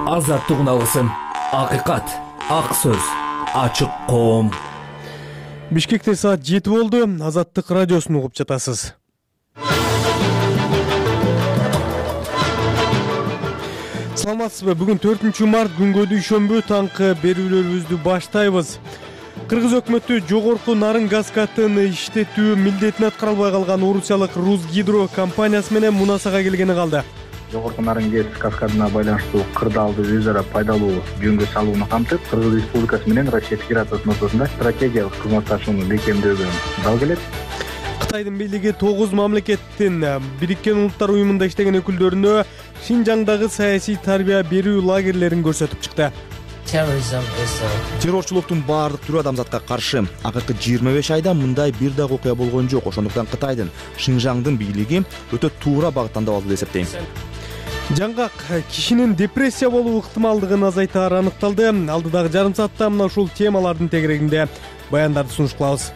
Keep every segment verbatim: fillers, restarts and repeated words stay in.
азаттык алгысым, акыйкат, ак сөз, ачык коом. Бишкекте саат жети болду. Азаттык радиосун угуп жатасыз. Саламатсызбы? Бүгүн төртүнчү март күнгө дүйшөмбү таңкы берүүлөрүбүздү баштайбыз. Кыргыз өкмөтү жогорку нарын газ катын иштетүү милдетин аткара албай калган орусиялык Русгидро компаниясы менен мунасага келгени калды. Жогорку нарын газ каскадына байланыштуу кырдаалды өз ара пайдалуу жөнгө салууну камтып, Кыргыз Республикасы менен Россия Федерациясынын ортосунда стратегиялык кызматташууну бекемдөөгө дал келет. Кытайдын бийлиги тогуз мамлекеттин Бириккен Улуттар уюмунда иштеген өкүлдөрүнө Шинжаңдагы саясий тарбия берүү лагерлерин көрсөтүп чыкты. Террорчулуктун баардык түрү адамзатка каршы. Акыркы жыйырма беш айда мындай бир дагы окуя болгон жок. Ошондуктан Кытайдын Шинжаңдын бийлиги өтө туура багыттандып алды деп эсептейм. Жаңгак кишинин депрессия болуу ыктымалдыгын азайтаар аныкталды. Алдыдагы жарым саатта мына ушул темалардын тегерегинде баяндарды сунуш кылабыз.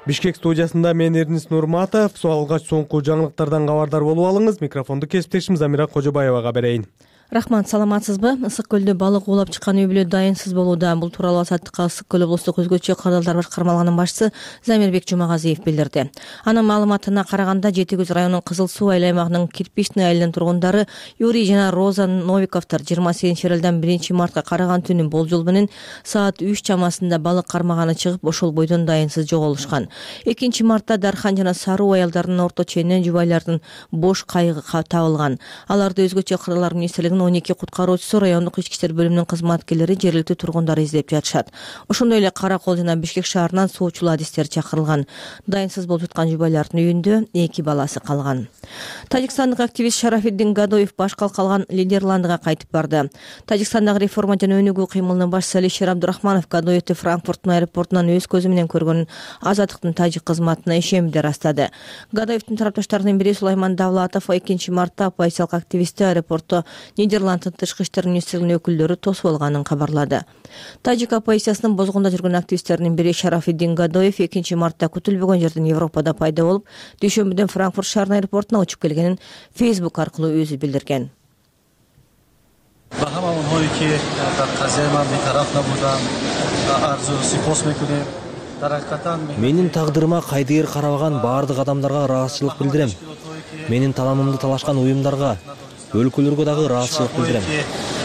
Бишкек студиясында мен Эрнис Нурматов. Алгач соңку жаңылыктардан кабардар болуп алыңыз. Микрофонду кесиптешим Замира Кожобаевага берейин. Рахмат, саламатсызбы? Ысык көлдө балык улап чыккан үй бүлө дайынсыз болууда. Бул тууралуу Азаттыкка Ысык көл облустук өзгөчө кырдаалдар башкармалыгынын башчысы Замирбек Жумагазиев билдирди. Анын маалыматына караганда, Жети Көз районунун Кызыл Суу айыл аймагынын Кирпичный айылынын тургундары Юрий жана Роза Новиковдор жыйырма сегизинчи февралдан биринчи мартка караган түнү болжол менен саат үч чамасында балык кармаганы чыгып, ошол бойдон дайынсыз жоголушкан. экинчи мартта Дархан жана Саруу айылдарынын орто ченинен жубайлардын бош кайыгы табылган. Аларды өзгөчө кырдаалдар министрлигинин он эки куткаруучусу, райондук ички иштер бөлүмүнүн кызматкерлери, жергиликтүү тургундар издеп жатышат. Ошондой эле Кара Кол жана Бишкек шаарынан суучулуу адистер чакырылган. Дайынсыз болуп жаткан жубайлардын үйүндө эки баласы калган. Тажикстандык активист Шарафиддин Гадоев баш калкалган Нидерландыга кайтып барды. Тажикстандагы реформа жана өнүгүү кыймылынын башчысы Алишер Абдурахманов Гадоевди Франкфурттун аэропортунан өз көзү менен көргөнүн Азаттыктын тажик кызматына ишенбеди растады. Гадоевдин тарапташтарынын бири Сулайман Давлатов экинчи мартта оппозициялык активистти аэропортто Нидерланддын тышкы иштер министрлигинин өкүлдөрү тосуп алганын кабарлады. Тажик оппозициясынын бозгунда жүргөн активисттердин бири Шарафиддин Гадоев экинчи мартта күтүлбөгөн жерден Европада пайда болуп, дүйшөмбүдөн Франкфурт шаарынын аэропортуна учуп келгенин Facebook аркылуу өзү билдирген. Менин тагдырыма кайдыгер карабаган баардык адамдарга ыраазычылык билдирем. Менин таламымды талашкан уюмдарга, өлкөлөргө дагы ыраазычылык билдирем.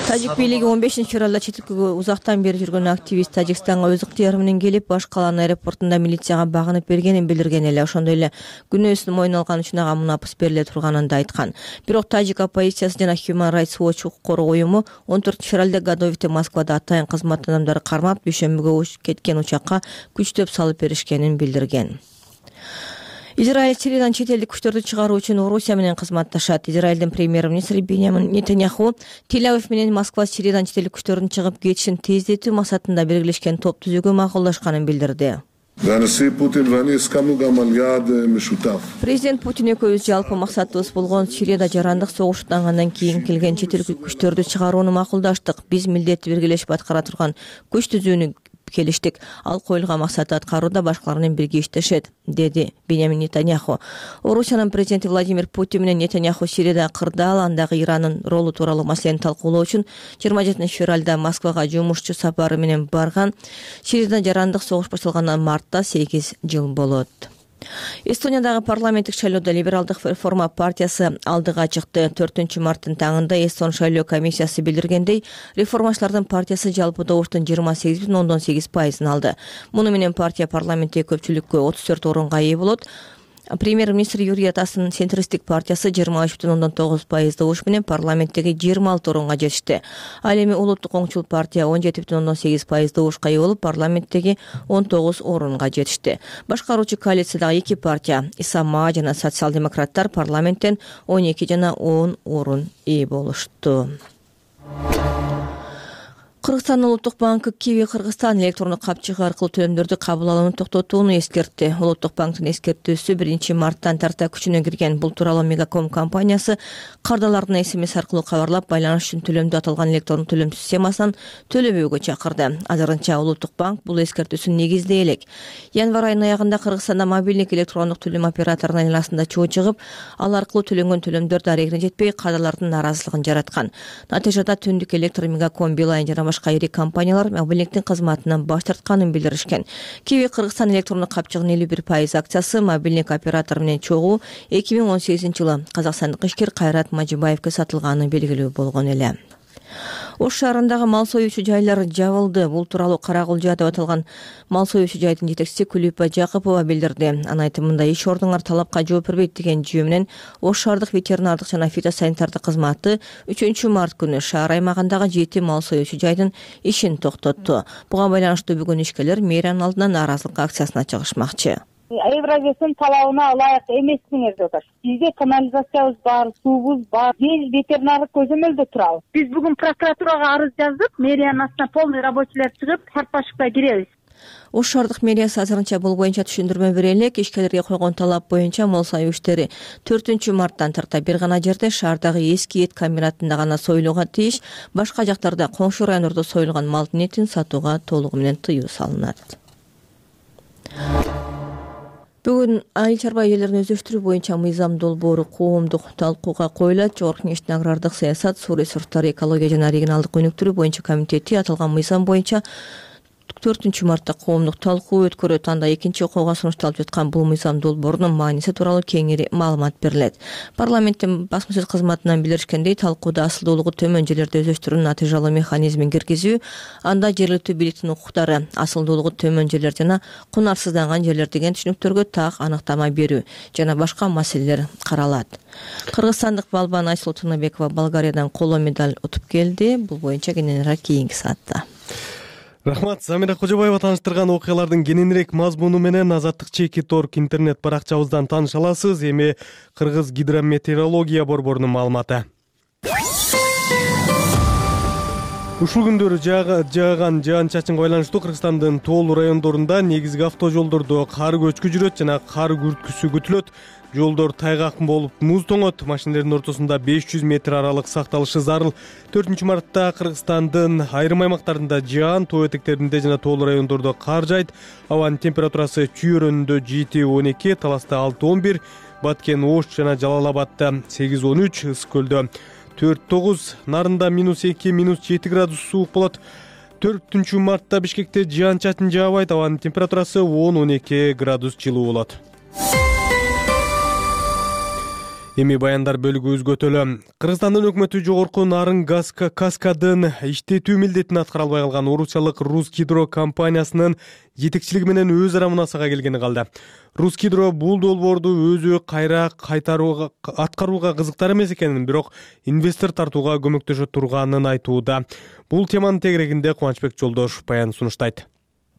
Тажик бийлиги он бешинчи февралда чет элге узактан бери жүргөн активист Тажикстанга өз ыктыяры менен келип, баш калаанын аэропортунда милицияга багынып бергенин билдирген эле. Ошондой эле күнөөсүн мойнуна алган үчүн ага мунапыс бериле турганын да айткан. Бирок Тажик оппозициясы жана Human Rights Watch укук коргоо уюму он төртүнчү февралда Гадоевди Москвада атайын кызмат адамдары кармап, дүйшөмбүгө кеткен учакка күчтөп салып беришкенин билдирген. Израиль Сириядан чет элдик күчтөрдү чыгаруу үчүн Орусия менен кызматташат. Израилдин премьер-министри Биньямин Нетаньяху Тель-Авив менен Москва Сириядан чет элдик күчтөрдүн чыгып кетишин тездетүү максатында белгилешкен топ түзүүгө макулдашканын билдирди. Президент Путин экөөбүз жалпы максатыбыз болгон Сирияда жарандык согуш аттангандан кийин келген чет элдик күчтөрдү чыгарууну макулдаштык. Биз милдетти биргелешип аткара турган күч түзүүнү келиштик. Ал коюлган максатты аткарууда башкалар менен бирге иштешет, деди Биньямин Нетаньяху. Орусиянын президенти Владимир Путин менен Нетаньяху Сирияда кырдаал, андагы Ирандын ролу тууралуу маселени талкуулоо үчүн жыйырма жетинчи февралда Москвага жумушчу сапары менен барган. Сирияда жарандык согуш башталгандан мартта сегиз жыл болот. Эстониядагы парламенттик шайлоодо либералдык реформа партиясы алдыга чыкты. төртүнчү марттын таңында Эстон шайлоо комиссиясы билдиргендей, реформачылардын партиясы жалпы добуштун жыйырма сегиз бүтүн ондон сегиз пайызын алды. Муну менен партия парламенттеги көпчүлүккө отуз төрт орунга ээ болот. Премьер-министр Юрий Атасын центристик партиясы жыйырма үч бүтүн ондон тогуз пайыз добуш менен парламенттеги жыйырма алты орунга жетишти. Ал эми улуттук оңчул партия он жети бүтүн ондон сегиз пайыз добушка ээ болуп, парламенттеги он тогуз орунга жетишти. Башкаруучу коалициядагы эки партия, Исама жана социал-демократтар парламенттен он эки жана он орун ээ болушту. Кыргызстан Улуттук банкы Киви Кыргызстан электрондук капчыгы аркылуу төлөмдөрдү кабыл алууну токтотууну эскертти. Улуттук банктын эскертүүсү биринчи марттан тарта күчүнө кирген. Бул тууралуу Мегаком компаниясы кардалардын смс аркылуу кабарлап, байланыш үчүн төлөмдү аталган электрондук төлөм системасынан төлөбөөгө чакырды. Азырынча Улуттук банк бул эскертүүсүн негиздей элек. Январь айынын аягында Кыргызстанда мобилдик электрондук төлөм операторунун айланасында чоо чыгып, ал аркылуу төлөнгөн төлөмдөр дарегине жетпей, кардалардын нааразылыгын жараткан. Натыйжада Түндүк электр, Мегаком, Билайн жана башка ири компаниялар мобилдиктин кызматынан баш тартканын билдиришкен. Киви Кыргызстан электрондук капчыгынын элүү бир пайыз акциясы мобилдик оператор менен чогуу эки миң он сегизинчи жылы казакстандык ишкер Кайрат Мажибаевге сатылганы белгилүү болгон эле. Ош шаарындагы мал союучу жайлар жабылды. Бул тууралуу Карагулжа деп аталган мал союучу жайдын жетекчиси Күлүпа Жакыпова билдирди. Анын айтымында иш ордуңар талапка жооп бербейт деген жүйө менен Ош шаардык ветеринардык жана фитосанитардык кызматы үчүнчү март күнү шаар аймагындагы жети мал союучу жайдын ишин токтотту. Буга байланыштуу бүгүн ишкерлер мэриянын алдына нааразылык акциясына чыгышмакчы. Евразиясынын талабына ылайык эмессиңер деп атат. Бизде канализациябыз бар, суубуз бар, биз ветеринардык көзөмөлдө турабыз. Биз бүгүн прокуратурага арыз жаздык, мэриянын астына полный рабочийлер чыгып, тарпашыкта киребиз. Ош шаардык мэриясы азырынча бул боюнча түшүндүрмө бере элек. Ишкерлерге койгон талап боюнча мал союу иштери төртүнчү марттан тарта бир гана жерде шаардагы эски эт комбинатында гана союлууга тийиш, башка жактарда коңшу райондордо союлган малдын этин сатууга толугу менен тыюу салынат. Бүгүн айыл чарба ээлерин өздөштүрүү боюнча мыйзам долбоору коомдук талкууга коюлат. Жогорку Кеңештин агрардык саясат, суу ресурстары, экология жана регионалдык өнүктүрүү боюнча комитети аталган мыйзам боюнча төртүнчү мартта коомдук талкуу өткөрөт. Анда экинчи окууга сунушталып жаткан бул мыйзам долбоорунун мааниси тууралуу кеңири маалымат берилет. Парламенттин басма сөз кызматынан билдиришкендей, талкууда асылдуулугу төмөн жерлерди өздөштүрүүнүн натыйжалуу механизмин киргизүү, анда жергиликтүү бийликтин укуктары, асылдуулугу төмөн жерлер жана кунарсызданган жерлер деген түшүнүктөргө так аныктама берүү жана башка маселелер каралат. Кыргызстандык балбан Айсулуу Тыныбекова Болгариядан коло медаль утуп келди. Бул боюнча кененирээк кийинки саатта. Рахмат. Замира Кожобаева тааныштырган окуялардын кененирээк мазмуну менен Азаттык чекит орг интернет баракчабыздан тааныша аласыз. Эми Кыргыз гидрометеорология борборунун маалыматы. Ушул күндөрү жааган жаан-чачынга байланыштуу Кыргызстандын тоолуу райондорунда негизги автожолдордо кар көчкү жүрөт жана кар күрткүсү күтүлөт. Жолдор тайгак болуп муз тоңот, машинелердин ортосунда беш жүз метр аралык сакталышы зарыл. төртүнчү мартта Кыргызстандын айрым аймактарында жаан, тоо этектеринде жана тоолуу райондордо кар жайт. Абанын температурасы Чүй өрөөнүндө жети он эки, Таласта алты он бир, Баткен, Ош жана Жалал Абадта сегиз он үч, Ысык көлдө төрт тогуз, Нарында минус эки, минус жети градус суук болот. төртүнчү мартта Бишкекте жаан-чачын жаабайт, абанын температурасы он он эки градус жылуу болот. Эми баяндар бөлүгү өзгөтөлө. Кыргызстандын өкмөтү жогорку нарын газ каскадын иштетүү милдетин аткара албай калган орусиялык Русгидро компаниясынын жетекчилиги менен өз ара мунасага келгени калды. Русгидро бул долбоорду өзү кайра кайтарууга аткарууга кызыктар эмес экенин, бирок инвестор тартууга көмөктөшө турганын айтууда. Бул теманын тегерегинде Кубанычбек Жолдошев баян сунуштайт.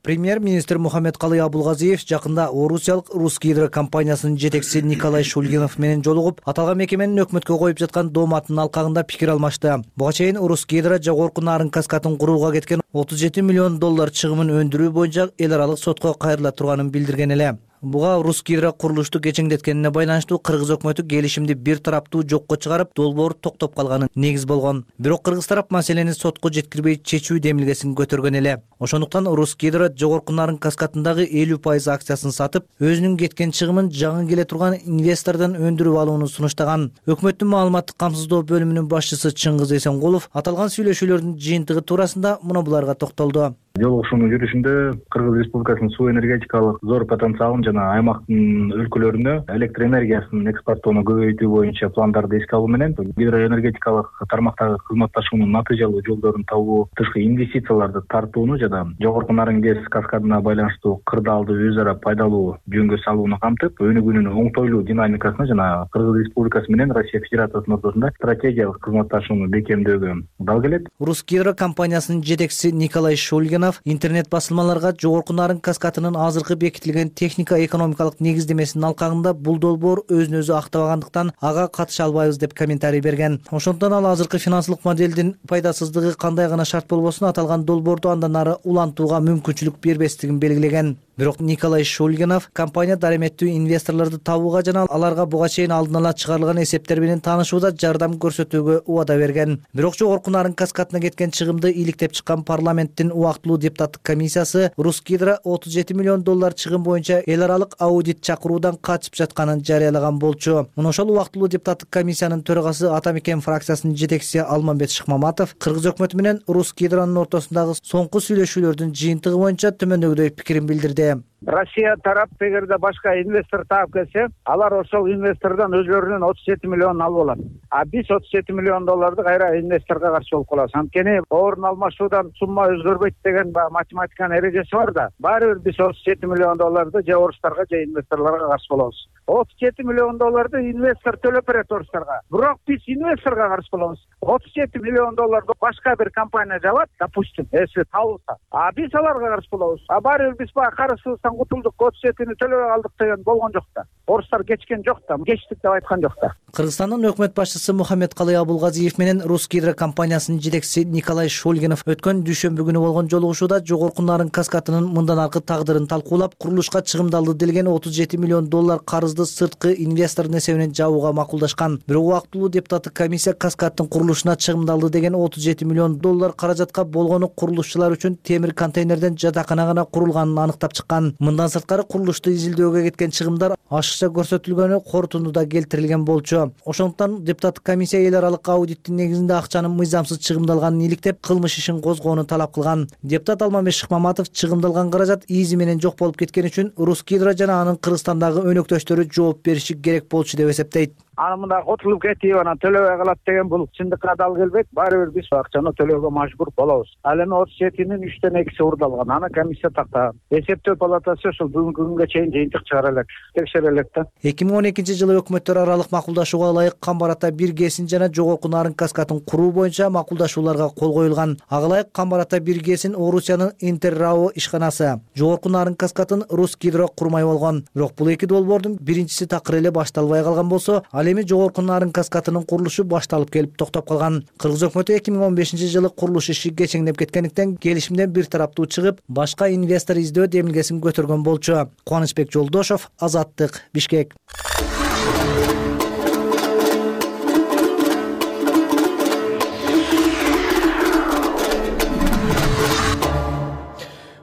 Премьер-министр Мухаммедкалый Абулгазиев жакында орусиялык Русгидро компаниясынын жетекчиси Николай Шульгинов менен жолугуп, аталган мекеменин өкмөткө коюп жаткан дооматынын алкагында пикир алмашты. Буга чейин Русгидро жогорку нарын каскадын курууга кеткен отуз жети миллион доллар чыгымын өндүрүү боюнча эл аралык сотко кайрыла турганын билдирген эле. Буга Русгидро курулушту кечеңдеткенине байланыштуу Кыргыз өкмөтү келишимди бир тараптуу жокко чыгарып, долбоор токтоп калганын негиз болгон. Бирок кыргыз тарап маселени сотко жеткирбей чечүү демилгесин көтөргөн эле. Ошондуктан Русгидро жогорку нарын каскадындагы элүү пайыз акциясын сатып, өзүнүн кеткен чыгымын жаңы келе турган инвестордон өндүрүп алууну сунуштаган. Өкмөттүн маалыматтык камсыздоо бөлүмүнүн башчысы Чыңгыз Эсенкулов аталган сүйлөшүүлөрдүн жыйынтыгы туурасында муну буларга токтолду. Жолугушуунун жүрүшүндө Кыргыз Республикасынын суу энергетикалык зор потенциалын жана аймактын өлкөлөрүнө электр энергиясын экспорттоону көбөйтүү боюнча пландарды эске алуу менен гидроэнергетикалык тармактагы кызматташуунун натыйжалуу жолдорун табуу, тышкы инвестицияларды тартууну жана жогорку нарын гез каскадына байланыштуу кырдаалды өз ара пайдалуу жөнгө салууну камтып, өнүгүүнүн оңтойлуу динамикасына жана Кыргыз Республикасы менен Россия Федерациясынын ортосунда стратегиялык кызматташууну бекемдөөгө дал келет. Русгидро компаниясынын жетекчиси Николай Шульгин Шульгинов интернет басылмаларга жогорку нарын газ катынын азыркы бекитилген техника экономикалык негиздемесинин алкагында бул долбоор өзүн өзү актабагандыктан ага катыша албайбыз деп комментарий берген. Ошондон ал азыркы финансылык моделдин пайдасыздыгы кандай гана шарт болбосун аталган долбоорду андан ары улантууга мүмкүнчүлүк бербестигин белгилеген. Бирок Николай Шульгинов компания дареметтүү инвесторлорду табууга жана аларга буга чейин алдын ала чыгарылган эсептер менен таанышууда жардам көрсөтүүгө убада берген. Бирок жогорку нарын газ катына кеткен чыгымды иликтеп чыккан парламенттин убактылуу депутаттык комиссиясы Русгидро отуз жети миллион доллар чыгым боюнча эл аралык аудит чакыруудан качып жатканын жарыялаган болчу. Мына ошол убактылуу депутаттык комиссиянын төрагасы Ата Мекен фракциясынын жетекчиси Алмамбет Шыкмаматов Кыргыз өкмөтү менен Русгидронун ортосундагы соңку сүйлөшүүлөрдүн жыйынтыгы боюнча төмөндөгүдөй пикирин билдирди. Россия тарап эгерде башка инвестор таап келсе, алар ошол инвестордон өзлөрүнүн отуз жети миллионун алып алат. А биз отуз жети миллион долларды кайра инвесторго каршы болуп калабыз. Анткени орун алмашуудан сумма өзгөрбөйт деген математиканын эрежеси бар да. Баары бир биз отуз жети миллион долларды же орустарга же инвесторлорго каршы болобуз. отуз жети миллион долларды инвестор төлөп берет орустарга. Бирок биз инвесторго каршы болобуз. отуз жети миллион долларды башка бир компания жабат, допустим, если табылса. А биз аларга каршы болобуз. А баары бир биз баягы карызыбыздан кутулдук, отуз жетини төлөбөй калдык деген болгон жок да. Орустар кечкен жок да, кечтик деп айткан жок да. Кыргызстандын өкмөт башчысы Мухаммедкалый Абулгазиев менен Русгидро компаниясынын жетекчиси Николай Шульгинов өткөн дүйшөмбү күнү болгон жолугушууда жогорку нарын газ катынын мындан аркы тагдырын талкуулап, курулушка чыгымдалды делген отуз жети миллион доллар карызды сырткы инвестордун эсебинен жабууга макулдашкан. Бирок убактылуу депутаттык комиссия газ каттын курулушуна чыгымдалды деген отуз жети миллион доллар каражатка болгону курулушчулар үчүн темир контейнерден жатакана гана курулганын анықтап чыккан. Мындан сырткары курулушту изилдөөгө кеткен чыгымдар ашыкча көрсөтүлгөнү корутундуда келтирилген болчу. Ошондуктан депутаттык комиссия эл аралык аудиттин негизинде акчанын мыйзамсыз чыгымдалганын иликтеп, кылмыш ишин козгоону талап кылган. Депутат Алмамбет Шыкмаматов чыгымдалган каражат изи менен жок болуп кеткени үчүн Русгидро жана анын Кыргызстандагы өнөктөштөрү жооп бериши керек болчу деп эсептейт. Аны мында котулуп кетип анан төлөбөй калат деген бул чындыкка дал келбейт. Баары бир биз акчаны төлөөгө мажбур болобуз. Ал эми отуз жетинин үчтөн экиси урдалган. Аны комиссия тактаган. Эсептөө палатасы ошол бүгүнкү күнгө чейин жыйынтык чыгара элек, текшере элек да. эки миң он экинчи жылы өкмөттөр аралык макулдашууга ылайык Камбарата бир ГЭСин жана жогорку нарын газ катын куруу боюнча макулдашууларга кол коюлган. Ага ылайык Камбарата бир ГЭСин Орусиянын Интеррао ишканасы, жогорку нарын газ катын Русгидро курмай болгон. Бирок бул эки долбоордун биринчиси такыр эле башталбай калган болсо, ал эми жогорку нарын газ катынын курулушу башталып келип токтоп калган. Кыргыз өкмөтү эки миң он бешинчи жылы курулуш иши кечеңдеп кеткендиктен келишимден бир тараптуу чыгып, башка инвестор издөө демилгесин көтөргөн болчу. Кубанычбек Жолдошов, Азаттык, Бишкек.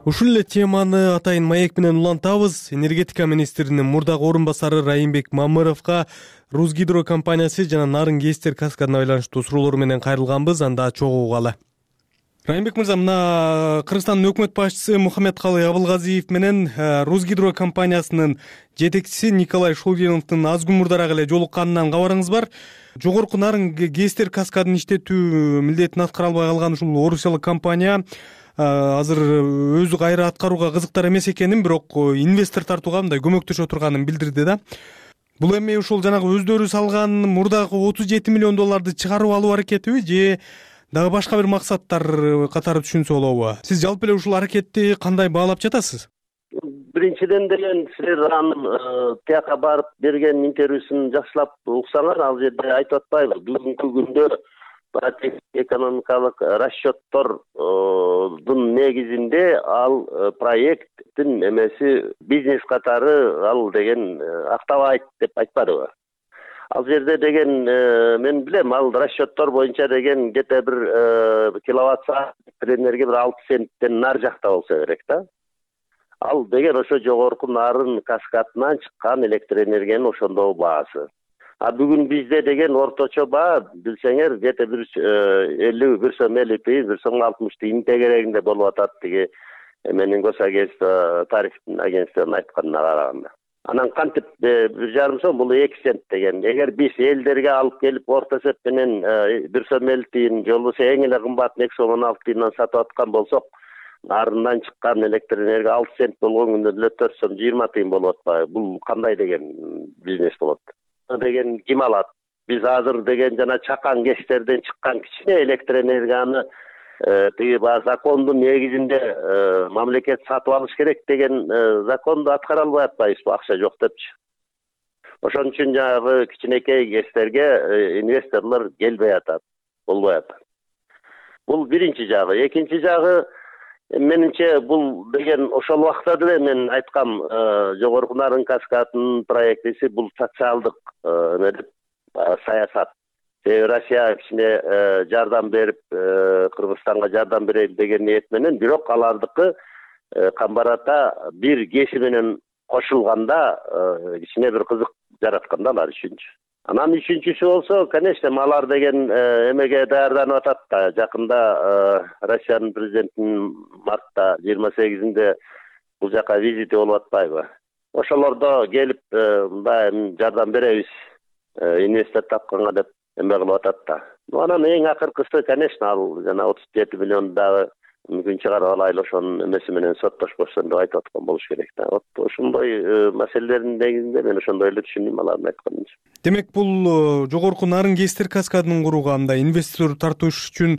Ушул эле теманы атайын маек менен улантабыз. Энергетика министринин мурдагы орун басары Райымбек Мамыровго Русгидро компаниясы жана нарын ГЭСтер каскадына байланыштуу суроолор менен кайрылганбыз. Анда чогуу угалы. Райымбек мырза, мына Кыргызстандын өкмөт башчысы Мухаммедкалый Абулгазиев менен Русгидро компаниясынын жетекчиси Николай Шульгиновдун аз күн мурдараак эле жолукканынан кабарыңыз бар. Жогорку нарын ГЭСтер каскадын иштетүү милдетин аткара албай калган ушул орусиялык компания азыр өзү кайра аткарууга кызыктар эмес экенин, бирок инвестор тартууга мындай көмөктөшө турганын билдирди да. Бул эми ушул жанагы өздөрү салган мурдагы отуз жети миллион долларды чыгарып алуу аракетиби же дагы башка бир максаттар катары түшүнсө болобу? Сиз жалпы эле ушул аракетти кандай баалап жатасыз? Биринчиден деле силер анын тияка барып берген интервьюсун жакшылап уксаңар, ал жерде айтып атпайбы, бүгүнкү күндө экономикалык расчеттордун негизинде ал проекттин эмеси бизнес катары ал деген актабайт деп айтпадыбы? Ал жерде деген мен билем, ал расчеттор боюнча деген где-то бир киловатт саат энергия бир алты центтен нар жакта болсо керек да. Ал деген ошо жогорку нарын каскадынан чыккан электр энергиянын ошондогу баасы. А бүгүн бизде деген орточо баа билсеңер где-то бир элүү, бир сом элүү тыйын, бир сом алтымыш тыйын тегерегинде болуп атат тиги менин госагентство тарифтин агентствонун айтканына караганда. Анан кантип бир жарым сом, бул эки цент деген. Эгер биз элдерге алып келип орто эсеп менен бир сом элүү тыйын, же болбосо эң эле кымбатын эки сом он алты тыйындан сатып аткан болсок, нарынан чыккан электр энергия алты цент болгон күндө эле төрт сом жыйырма тыйын болуп атпайбы? Бул кандай деген бизнес болот деген ким алат? Биз азыр деген жана чакан ГЭСтерден чыккан кичине электр энергияны тиги баягы закондун негизинде мамлекет сатып алыш керек деген законду аткара албай атпайбызбы, акча жок депчи. Ошон үчүн жанагы кичинекей кесиптерге инвесторлор келбей атат, болбой атат. Бул биринчи жагы. Экинчи жагы, менимче бул деген ошол убакта деле мен айткам, Жогорку Нарын каскадынын проектиси бул социалдык эме деп саясат. Россия кичине жардам берип, Кыргызстанга жардам берели деген ниет менен, бирок алардыкы камбарата бир кеси менен кошулганда кичине бир кызык жараткан да алар үчүнчү. Анан үчүнчүсү болсо, конечно, алар деген эмеге даярданып атат да. Жакында Россиянын президентинин мартта жыйырма сегизинде бул жака визити болуп атпайбы? Ошолордо келип мындай жардам беребиз, инвестор тапканга деп эме кылып атат да. Анан эң акыркысы, конечно, ал жана отуз жети миллион дагы мүмкүн чыгарып алайлы, ошонун эмеси менен соттошпосун деп айтып аткан болуш керек да. Вот ошондой маселелердин негизинде мен ошондой эле түшүндүм алардын айтканын. Демек, бул Жогорку Нарын КСТР каскадын курууга мындай инвестор тартыш үчүн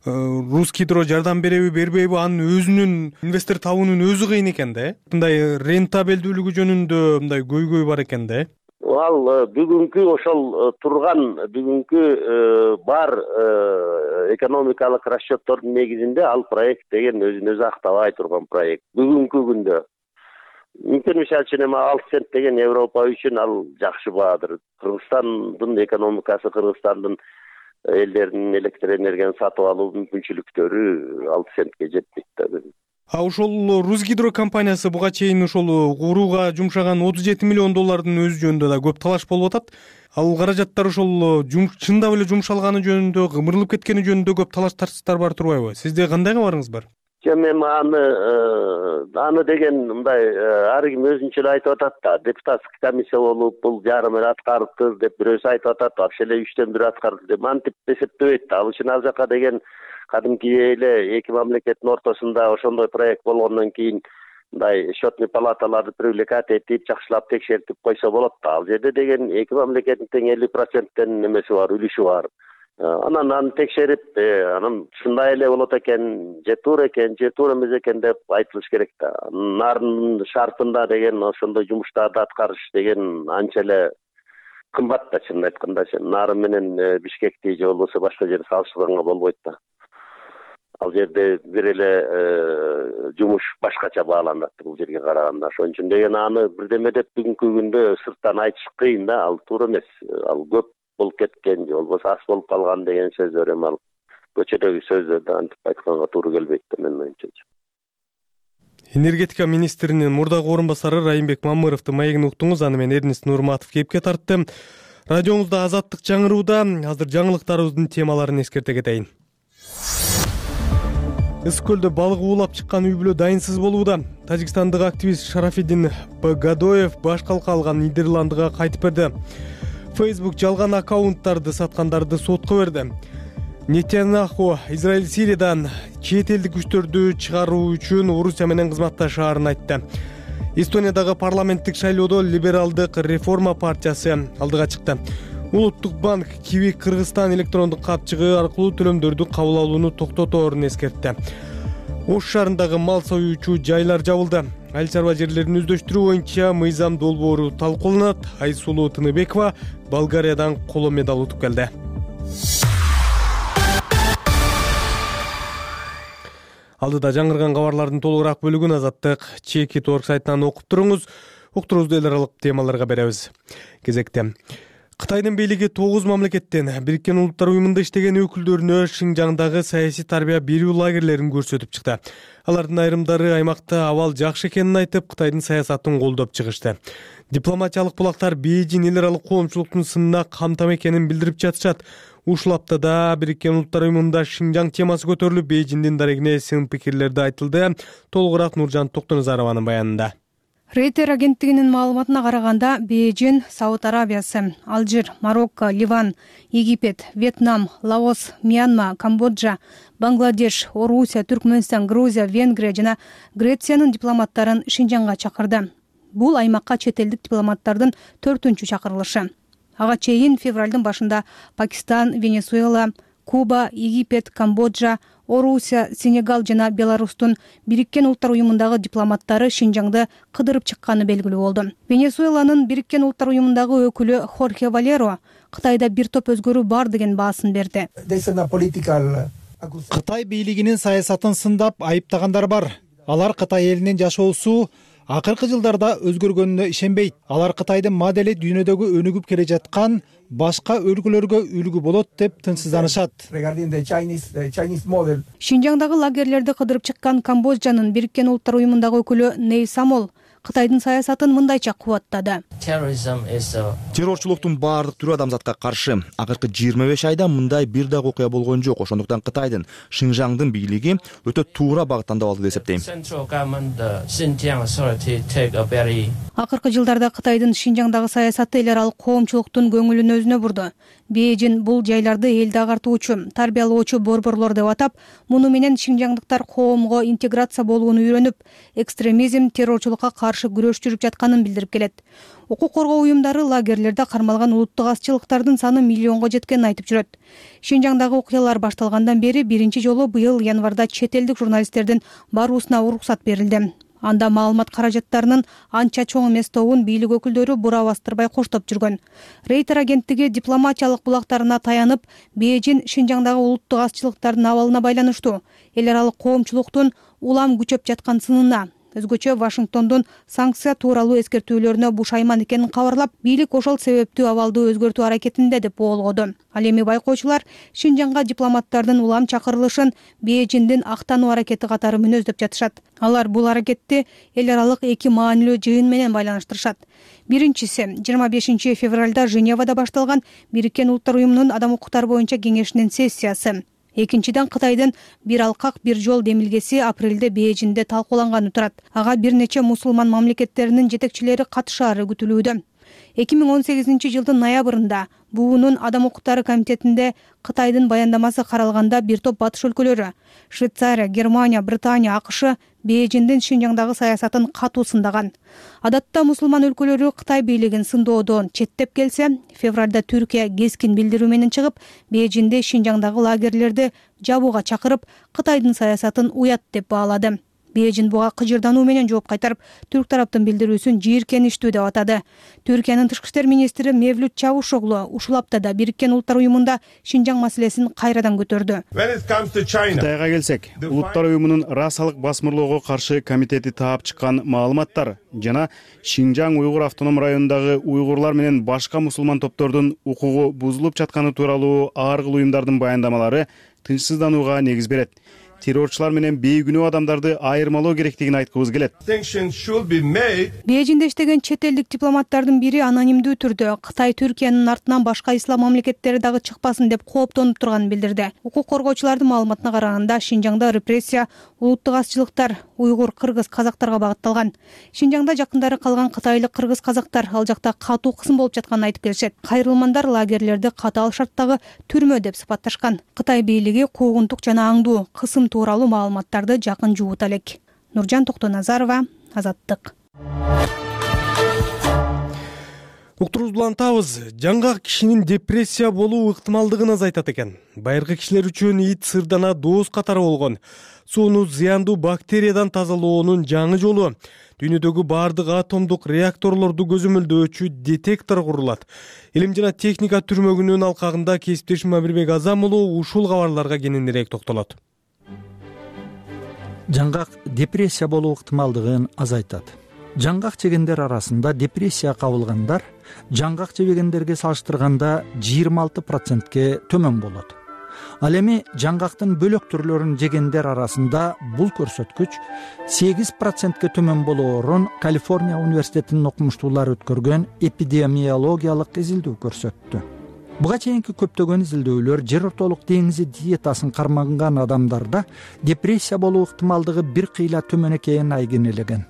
Русгидро жардам береби, бербейби, анын өзүнүн инвестор табуунун өзү кыйын экен да, э? Мындай рентабелдүүлүгү жөнүндө мындай көйгөй бар экен да, э? Ал бүгүнкү ошол турган бүгүнкү бар экономикалык расчеттордун негизинде ал проект деген өзүн өзү актабай турган проект. Бүгүнкү күндө мүмкүн мисалы үчүн эми алты цент деген Европа үчүн ал жакшы баадыр. Кыргызстандын экономикасы, Кыргызстандын элдеринин электр энергияны сатып алуу мүмкүнчүлүктөрү алты центке жетпейт да. А ошол Русгидро компаниясы буга чейин ошол курууга жумшаган отуз жети миллион доллардын өзү жөнүндө да көп талаш болуп атат. Ал каражаттар ошол чындап эле жумшалганы жөнүндө, кымырылып кеткени жөнүндө көп талаш тартыштар бар турбайбы? Сизде кандай кабарыңыз бар? Мен аны аны деген мындай ар ким өзүнчө эле айтып атат да. Депутаттык комиссия болуп, бул жарым эле аткарыптыр деп бирөөсү айтып атат, вообще эле үчтөн бир аткарды деп мантип эсептебейт да. Ал үчүн ал жака деген кадимки эле эки мамлекеттин ортосунда ошондой проект болгондон кийин мындай счетный палаталарды привлекать этип, жакшылап текшертип койсо болот да. Ал жерде деген эки мамлекеттин тең элүү проценттен эмеси бар, үлүшү бар. Анан аны текшерип, анан ушундай эле болот экен, же туура экен, же туура эмес экен деп айтылыш керек да. Нарын шартында деген ошондой жумуштарды аткарыш деген анча эле кымбат да, чынын айтканда. Нарын менен Бишкекти же болбосо башка жерди салыштырганга болбойт да. Ал жерде бир эле жумуш башкача бааланат бул жерге караганда. Ошон үчүн деген аны бирдеме деп бүгүнкү күндө сырттан айтыш кыйын да. Ал туура эмес. Ал көп болуп кеткен же болбосо аз болуп калган деген сөздөр эми ал көчөдөгү сөздөрдү антип айтканга туура келбейт да менин оюмча. Энергетика министринин мурдагы орун басары Райымбек Мамыровдун маегин уктуңуз. Аны мен Эрнест Нурматов кепке тарттым. Радионузда Азаттык жаңырууда. Азыр жаңылыктарыбыздын темаларын эскерте кетейин. Ысык көлдө балык уулап чыккан үй бүлө дайынсыз болууда. Тажикстандык активист Шарафиддин Гадоев баш калка алган Нидерландыга кайтып берди. Facebook жалган аккаунттарды саткандарды сотко берди. Нетаньяху Израиль Сириядан чет элдик күчтөрдү чыгаруу үчүн Орусия менен кызматташаарын айтты. Эстониядагы парламенттик шайлоодо либералдык реформа партиясы алдыга чыкты. Улуттук банк Киви Кыргызстан электрондук капчыгы аркылуу төлөмдөрдү кабыл алууну токтоторун эскертти. Ош шаарындагы мал союучу жайлар жабылды. Айыл чарба жерлерин өздөштүрүү боюнча мыйзам долбоору талкууланат. Айсулуу Тыныбекова Болгариядан коло медаль утуп келди. Алдыда жаңырган кабарлардын толугураак бөлүгүн Азаттык чеки точка орг сайтынан окуп туруңуз. Уктуруубузду эл аралык темаларга беребиз. Кезекте Кытайдын бийлиги тогуз мамлекеттен Бириккен Улуттар уюмунда иштеген өкүлдөрүнө Шинжаңдагы саясий тарбия берүү лагерлерин көрсөтүп чыкты. Алардын айрымдары аймакта абал жакшы экенин айтып, Кытайдын саясатын колдоп чыгышты. Дипломатиялык булактар Бейжин эл аралык коомчулуктун сынына камтам экенин билдирип жатышат. Ушул аптада Бириккен Улуттар уюмунда Шинжаң темасы көтөрүлүп, Бейжиндин дарегине сын пикирлерди айтылды. Толугураак Нуржан Токтоназарованын баянында. Рейтер агенттигинин маалыматына караганда, Бейжин, Сауд Арабиясы, Алжир, Марокко, Ливан, Египет, Вьетнам, Лаос, Мьянма, Камбоджа, Бангладеш, Орусия, Түркмөнстан, Грузия, Венгрия жана Грециянын дипломаттарын Шинжаңга чакырды. Бул аймакка чет элдик дипломаттардын төртүнчү чакырылышы. Ага чейин февралдын башында Пакистан, Венесуэла, Куба, Египет, Камбоджа, Орусия, Сенегал жана Беларустун Бириккен Улуттар уюмундагы дипломаттары Шинжаңды кыдырып чыкканы белгилүү болду. Венесуэланын Бириккен Улуттар уюмундагы өкүлү Хорхе Валеро Кытайда бир топ өзгөрүү бар деген баасын берди. Кытай бийлигинин саясатын сындап айыптагандар бар. Алар Кытай элинин жашоосу акыркы жылдарда өзгөргөнүнө ишенбейт. Алар Кытайдын модели дүйнөдөгү өнүгүп келе жаткан башка өлкөлөргө үлгү болот деп тынчсызданышат. Шинжаңдагы лагерлерди кыдырып чыккан Камбоджанын Бириккен Улуттар уюмундагы өкүлү Ней Самол Кытайдын саясатын мындайча кубаттады. Террорчулуктун баардык түрү адамзатка каршы. Акыркы жыйырма беш айда мындай бир дагы окуя болгон жок. Ошондуктан Кытайдын Шинжаңдын бийлиги өтө туура багыт тандап алды деп эсептейм. Акыркы жылдарда Кытайдын Шинжаңдагы саясаты эл аралык коомчулуктун көңүлүн өзүнө бурду. Бейжин бул жайларды элди агартуучу, тарбиялоочу борборлор деп атап, муну менен шинжаңдыктар коомго интеграция болууну үйрөнүп, экстремизм, террорчулукка каршы күрөш жүрүп жатканын билдирип келет. Укук коргоо уюмдары лагерлерде кармалган улуттук азчылыктардын саны миллионго жеткенин айтып жүрөт. Шинжаңдагы окуялар башталгандан бери биринчи жолу быйыл январда чет элдик журналисттердин баруусуна уруксат берилди. Анда маалымат каражаттарынын анча чоң эмес тобун бийлик өкүлдөрү бура бастырбай коштоп жүргөн. Рейтер агенттиги дипломатиялык булактарына таянып, Бейжин Шинжаңдагы улуттук азчылыктардын абалына байланыштуу эл аралык коомчулуктун улам күчөп жаткан сынына, өзгөчө Вашингтондун санкция тууралуу эскертүүлөрүнө бушайман экенин кабарлап, бийлик ошол себептүү абалды өзгөртүү аракетинде деп боолгоду. Ал эми байкоочулар Шинжаңга дипломаттардын улам чакырылышын Бейжиндин актануу аракети катары мүнөздөп жатышат. Алар бул аракетти эл аралык эки маанилүү жыйын менен байланыштырышат. Биринчиси жыйырма бешинчи февралда Женевада башталган Бириккен Улуттар уюмунун адам укуктары боюнча кеңешинин сессиясы. Экинчиден Кытайдын бир алкак бир жол демилгеси апрелде Бейжинде талкууланганы турат. Ага бир нече мусулман мамлекеттеринин жетекчилери катышаары күтүлүүдө. эки миң он сегизинчи жылдын ноябрында буунун адам укуктары комитетинде Кытайдын баяндамасы каралганда бир топ батыш өлкөлөрү — Швейцария, Германия, Британия, АКШ Бейжиндин Шинжаңдагы саясатын катуу сындаган. Адатта мусулман өлкөлөрү Кытай бийлигин сындоодон четтеп келсе, февралда Түркия кескин билдирүү менен чыгып, Бейжинде Шинжаңдагы лагерлерди жабууга чакырып, Кытайдын саясатын уят деп баалады. Бейжин буга кыжырдануу менен жооп кайтарып, түрк тараптын билдирүүсүн жийиркеничтүү деп атады. Түркиянын тышкы иштер министри Мевлют Чавушоглу ушул аптада Бириккен Улуттар уюмунда Шинжаң маселесин кайрадан көтөрдү. Кытайга келсек, Улуттар уюмунун расалык басмырлоого каршы комитети таап чыккан маалыматтар жана Шинжаң уйгур автоном районундагы уйгурлар менен башка мусулман топтордун укугу бузулуп жатканы тууралуу ар кыл уюмдардын баяндамалары тынчсызданууга негиз берет. Террорчулар менен бейгүнөө адамдарды айырмалоо керектигин айткыбыз келет. Бейжинде иштеген чет элдик дипломаттардын бири анонимдүү түрдө Кытай Түркиянын артынан башка ислам мамлекеттери дагы чыкпасын деп кооптонуп турганын билдирди. Укук коргоочулардын маалыматына караганда, Шинжаңда репрессия улуттук азчылыктар уйгур, кыргыз, казактарга багытталган. Шинжаңда жакындары калган кытайлык кыргыз казактар ал жакта катуу кысым болуп жатканын айтып келишет. Кайрылмандар лагерлерди катаал шарттагы түрмө деп сыпатташкан. Кытай бийлиги куугунтук жана аңдуу кысым тууралуу маалыматтарды жакын жуута элек. Нуржан Токтоназарова, Азаттык. Уктуруубузду улантабыз. Жаңгак кишинин депрессия болуу ыктымалдыгын азайтат экен. Байыркы кишилер үчүн ит сырдана дооз катары болгон. Сууну зыяндуу бактериядан тазалоонун жаңы жолу. Дүйнөдөгү бардык атомдук реакторлорду көзөмөлдөөчү детектор курулат. Илим жана техника түрмөгүнүн алкагында кесиптешим Амирбек Азам уулу ушул кабарларга кененирээк токтолот. Жаңгак депрессия болуу ыктымалдыгын азайтат. Жаңгак жегендер арасында депрессия кабылгандар жаңгак жебегендерге салыштырганда жыйырма алты процентке төмөн болот. Ал эми жаңгактын бөлөк түрлөрүн жегендер арасында бул көрсөткүч сегиз процентке төмөн болоорун Калифорния университетинин окумуштуулары өткөргөн эпидемиологиялык изилдөө көрсөттү. Буга чейинки көптөгөн изилдөөлөр жер ортолук деңизи диетасын карманган адамдарда депрессия болуу ыктымалдыгы бир кыйла төмөн экенин айгинелеген.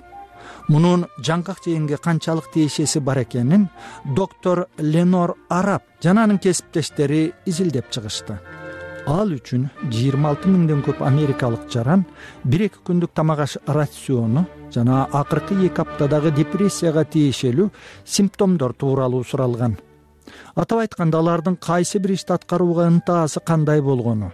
Мунун жаңгак жегенге канчалык тиешеси бар экенин доктор Ленор Араб жана анын кесиптештери изилдеп чыгышты. Ал үчүн жыйырма алты миңден көп америкалык жаран бир-эки күндүк тамак аш рациону жана акыркы эки аптадагы депрессияга тиешелүү симптомдор тууралуу суралган. атап айтканда алардын кайсы бир ишти аткарууга ынтаасы кандай болгону,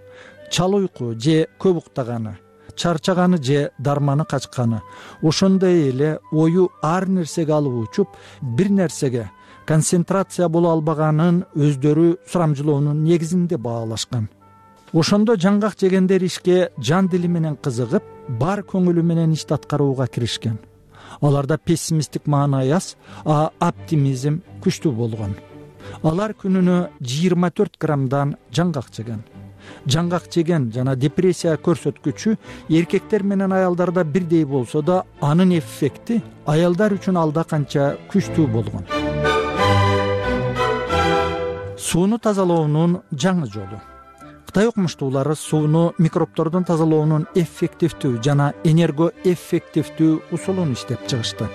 чал уйку же көп уктаганы, чарчаганы же дарманы качканы, ошондой эле ою ар нерсеге алып учуп, бир нерсеге концентрация боло албаганын өздөрү сурамжылоонун негизинде баалашкан. Ошондо жаңгак жегендер ишке жан дили менен кызыгып, бар көңүлү менен ишти аткарууга киришкен. Аларда пессимисттик маанай аз, а оптимизм күчтүү болгон. Алар күнүнө жыйырма төрт граммдан жаңгак жеген. Жаңгак жеген жана депрессия көрсөткүчү эркектер менен аялдарда бирдей болсо да, анын эффекти аялдар үчүн алда канча күчтүү болгон. Сууну тазалоонун жаңы жолу. Кытай окумуштуулары сууну микробтордон тазалоонун эффективдүү жана энергоэффективдүү усулун иштеп чыгышты.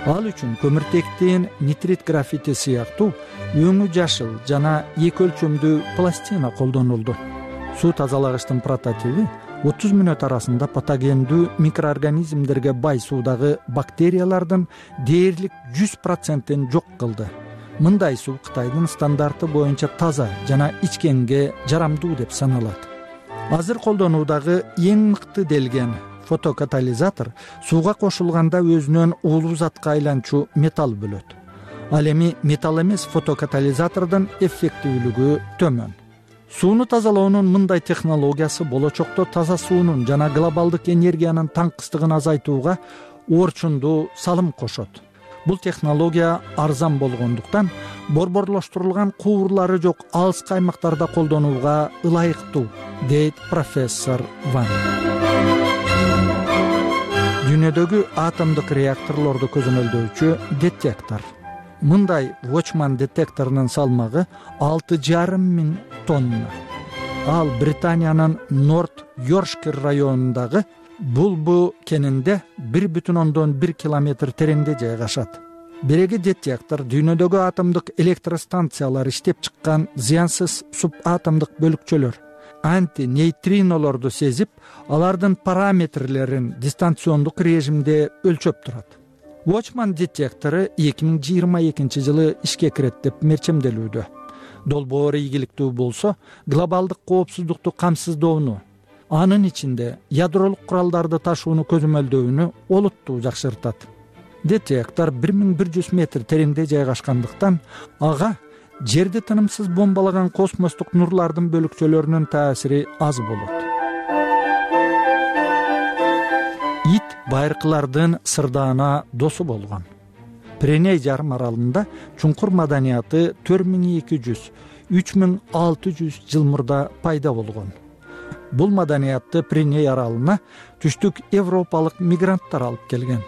Ал үчүн көмүртектин нитрит графити сыяктуу өңү жашыл жана эки өлчөмдүү пластина колдонулду. Суу тазалагычтын прототиби отуз мүнөт арасында патогендүү микроорганизмдерге бай суудагы бактериялардын дээрлик жүз процентин жок кылды. Мындай суу Кытайдын стандарты боюнча таза жана ичкенге жарамдуу деп саналат. Азыр колдонуудагы эң мыкты делген фотокатализатор сууга кошулганда өзүнөн уулуу затка айланчу металл бөлөт. Ал эми металл эмес фотокатализатордун эффективдүүлүгү төмөн. Сууну тазалоонун мындай технологиясы болочокто таза суунун жана глобалдык энергиянын таңкыстыгын азайтууга орчундуу салым кошот. Бул технология арзан болгондуктан борборлоштурулган куурлары жок алыскы аймактарда колдонууга ылайыктуу, дейт профессор Ван. Дүйнөдөгү атомдук реакторлорду көзөмөлдөөчү детектор. Мындай Watchman детекторунун салмагы алты жарым миң тонна. Ал Британиянын Норт Йоркшир районундагы Булбу кенинде бир бүтүн ондон бир километр тереңде жайгашат. Биреги детектор дүйнөдөгү атомдук электростанциялар иштеп чыккан зыянсыз субатомдук бөлүкчөлөр, антинейтринолорду сезип, алардын параметрлерин дистанциондук режимде өлчөп турат. Watchman детектору эки миң жыйырма экинчи жылы ишке кирет деп мерчемделүүдө. Долбоор ийгиликтүү болсо, глобалдык коопсуздукту камсыздоону, анын ичинде ядролук куралдарды ташууну көзөмөлдөөнү олуттуу жакшыртат. Детектор бир миң бир жүз метр тереңде жайгашкандыктан, ага жерди тынымсыз бомбалаган космостук нурлардын бөлүкчөлөрүнүн таасири аз болот. Ит байыркылардын сырдаана досу болгон. Пиреней жарым аралында чуңкур маданияты төрт миң эки жүз — үч миң алты жүз жыл мурда пайда болгон. Бул маданиятты Пиреней аралына түштүк европалык мигранттар алып келген.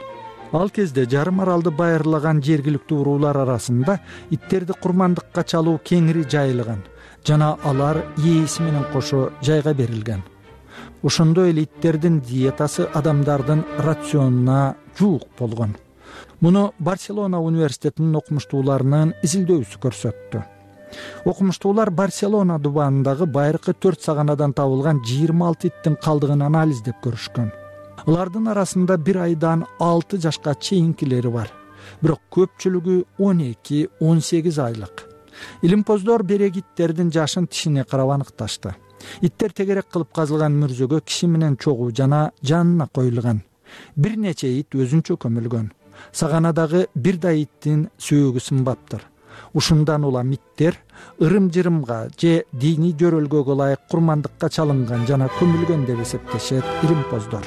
Ал кезде жарым аралды байырлаган жергиликтүү уруулар арасында иттерди курмандыкка чалуу кеңири жайылган жана алар ээси менен кошо жайга берилген. Ошондой эле иттердин диетасы адамдардын рационуна жуук болгон. Муну Барселона университетинин окумуштууларынын изилдөөсү көрсөттү. Окумуштуулар Барселона дубанындагы байыркы төрт саганадан табылган жыйырма алты иттин калдыгын анализдеп көрүшкөн. Алардын арасында бир айдан алты жашка чейинкилери бар, бирок көпчүлүгү он эки — он сегиз айлык. Илимпоздор берек иттердин жашын тишине карап аныкташты. Иттер тегерек кылып казылган мүрзөгө киши менен чогуу жана жанына коюлган. Бир нече ит өзүнчө көмүлгөн. Саганадагы бир да иттин сөөгү сынбаптыр. Ушундан улам иттер ырым-жырымга же диний жөрөлгөгө ылайык курмандыкка чалынган жана көмүлгөн деп эсептешет илимпоздор.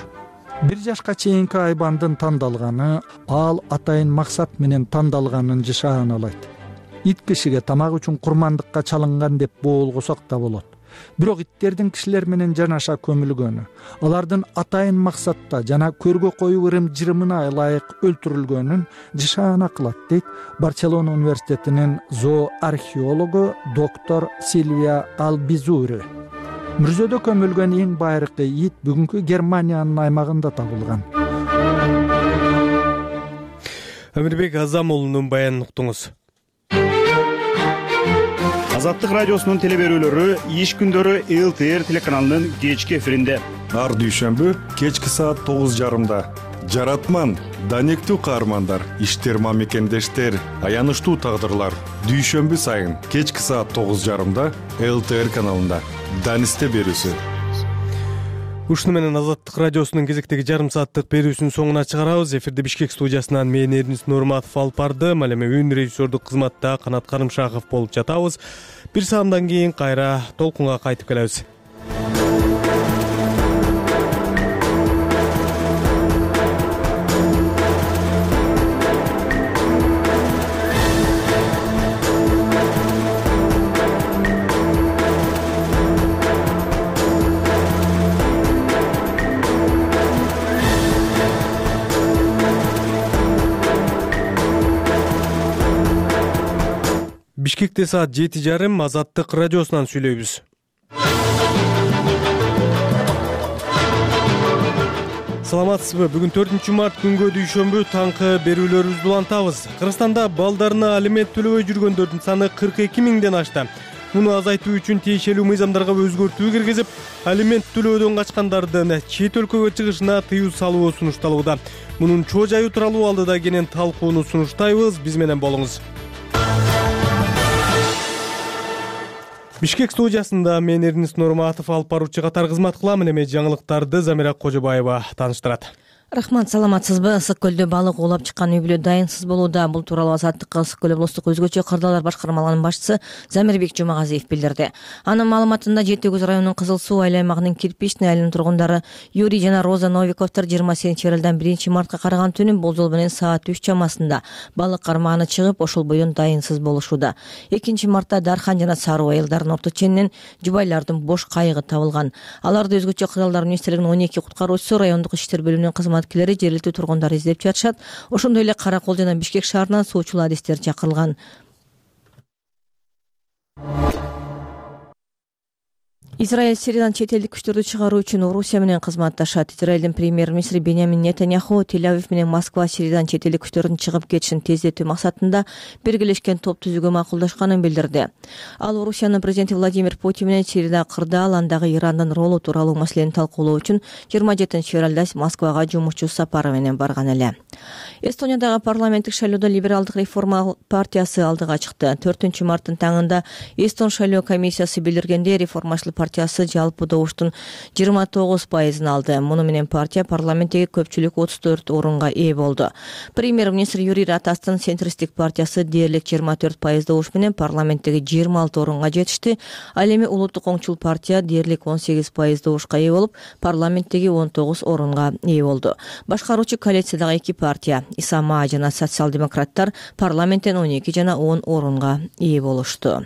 Бир жашка чейинки айбандын тандалганы ал атайын максат менен тандалганын жышааналайт. Ит кишиге тамак үчүн курмандыкка чалынган деп боолгосок да болот. Бирок иттердин кишилер менен жанаша көмүлгөнү, алардын атайын максатта жана көргө коюу ырым-жырымына ылайык өлтүрүлгөнүн жышаана кылат, дейт Барселона университетинин зооархеологу доктор Сильвия Албизури. Мүрзөдө көмүлгөн эң байыркы ит бүгүнкү Германиянын аймагында табылган. Амирбек Азамулунун баянын уктуңуз. Азаттык радиосунун телеберүүлөрү иш күндөрү эл тэ эр телеканалынын кечки эфиринде. Ар дүйшөмбү кечки саат тогуз жарымда жаратман, данектүү каармандар, иштерма мекендештер, аянычтуу тагдырлар. Дүйшөмбү сайын кечки саат тогуз жарымда эл тэ эр каналында Данисте берүүсү. Ушуну менен Азаттык радиосунун кезектеги жарым сааттык берүүсүнүн соңуна чыгарабыз. Эфирде Бишкек студиясынан мен Эрнис Нурматов алып бардым. Ал эми үн режиссердук кызматта Канат Карымшаков болуп жатабыз. Бир саамдан кийин кайра толкунга кайтып келебиз. Бишкекте саат жети жарым Азаттык радиосунан сүйлөйбүз. Саламатсызбы? Бүгүн төртүнчү март күнгө дүйшөмбү таңкы берүүлөрүбүздү улантабыз. Кыргызстанда балдарына алимент төлөбөй жүргөндөрдүн саны кырк эки миңден ашты. Муну азайтуу үчүн тиешелүү мыйзамдарга өзгөртүү киргизип, алимент төлөөдөн качкандардын чет өлкөгө чыгышына тыюу салуу сунушталууда. Мунун чоо жайы тууралуу алдыда кенен талкууну сунуштайбыз. Биз менен болуңуз. Бишкек студиясында мен Эрнис Нурматов алып баруучу катар кызмат кылам. Эми жаңылыктарды Замира Кожобаева тааныштырат. Рахмат, саламатсызбы? Ысык көлдө балык оолап чыккан үй бүлө дайынсыз болууда. Бул тууралуу Азаттыкка Ысык көл облустук өзгөчө кырдаалар башкармалыгынын башчысы Замирбек Жумагазиев билдирди. Анын маалыматында Жети Көз районунун Кызыл Суу айыл аймагынын Кирпичный айылынын тургундары Юрий жана Роза Новиковдор жыйырма сегизинчи февралдан биринчи мартка караган түнү болжол менен саат үч чамасында балык кармагына чыгып, ошол бойдон дайынсыз болушууда. экинчи мартта Дархан жана Саруу айылдарынын орто ченинен жубайлардын бош кайыгы табылган. Аларды өзгөчө кырдаалдар министрлигинин он эки куткаруучусу, райондук иштер бөлүмүнүн кызматкерлери, жергиликтүү тургундар издеп жатышат. Ошондой эле Кара Кол жана Бишкек шаарынан суучул адистер чакырылган. Израиль Сириядан чет элдик күчтөрдү чыгаруу үчүн Орусия менен кызматташат. Израилдин премьер-министри Беньямин Нетаньяху Тель-Авив менен Москва Сириядан чет элдик күчтөрдүн чыгып кетишин тездетүү максатында биргелешкен топ түзүүгө макулдашканын билдирди. Ал Орусиянын президенти Владимир Путин менен Сирияда кырдаал, андагы Ирандын ролу тууралуу маселени талкуулоо үчүн жыйырма жетинчи февралда Москвага жумушчу сапары менен барган эле. Эстониядагы парламенттик шайлоодо Либералдык реформа партиясы алдыга чыкты. төртүнчү марттын таңында Эстон шайлоо комиссиясы билдиргендей, реформачыл партиясы жалпы добуштун жыйырма тогуз пайызын алды. Муну менен партия парламенттеги көпчүлүк отуз төрт орунга ээ болду. Премьер-министр Юрий Ратастын центристтик партиясы дээрлик жыйырма төрт пайыз добуш менен парламенттеги жыйырма алты орунга жетишти. Ал эми улуттук оңчул партия дээрлик он сегиз пайыз добушка ээ болуп, парламенттеги он тогуз орунга ээ болду. Башкаруучу коалициядагы эки партия, Исама жана социал-демократтар, парламенттен он эки жана он орунга ээ болушту.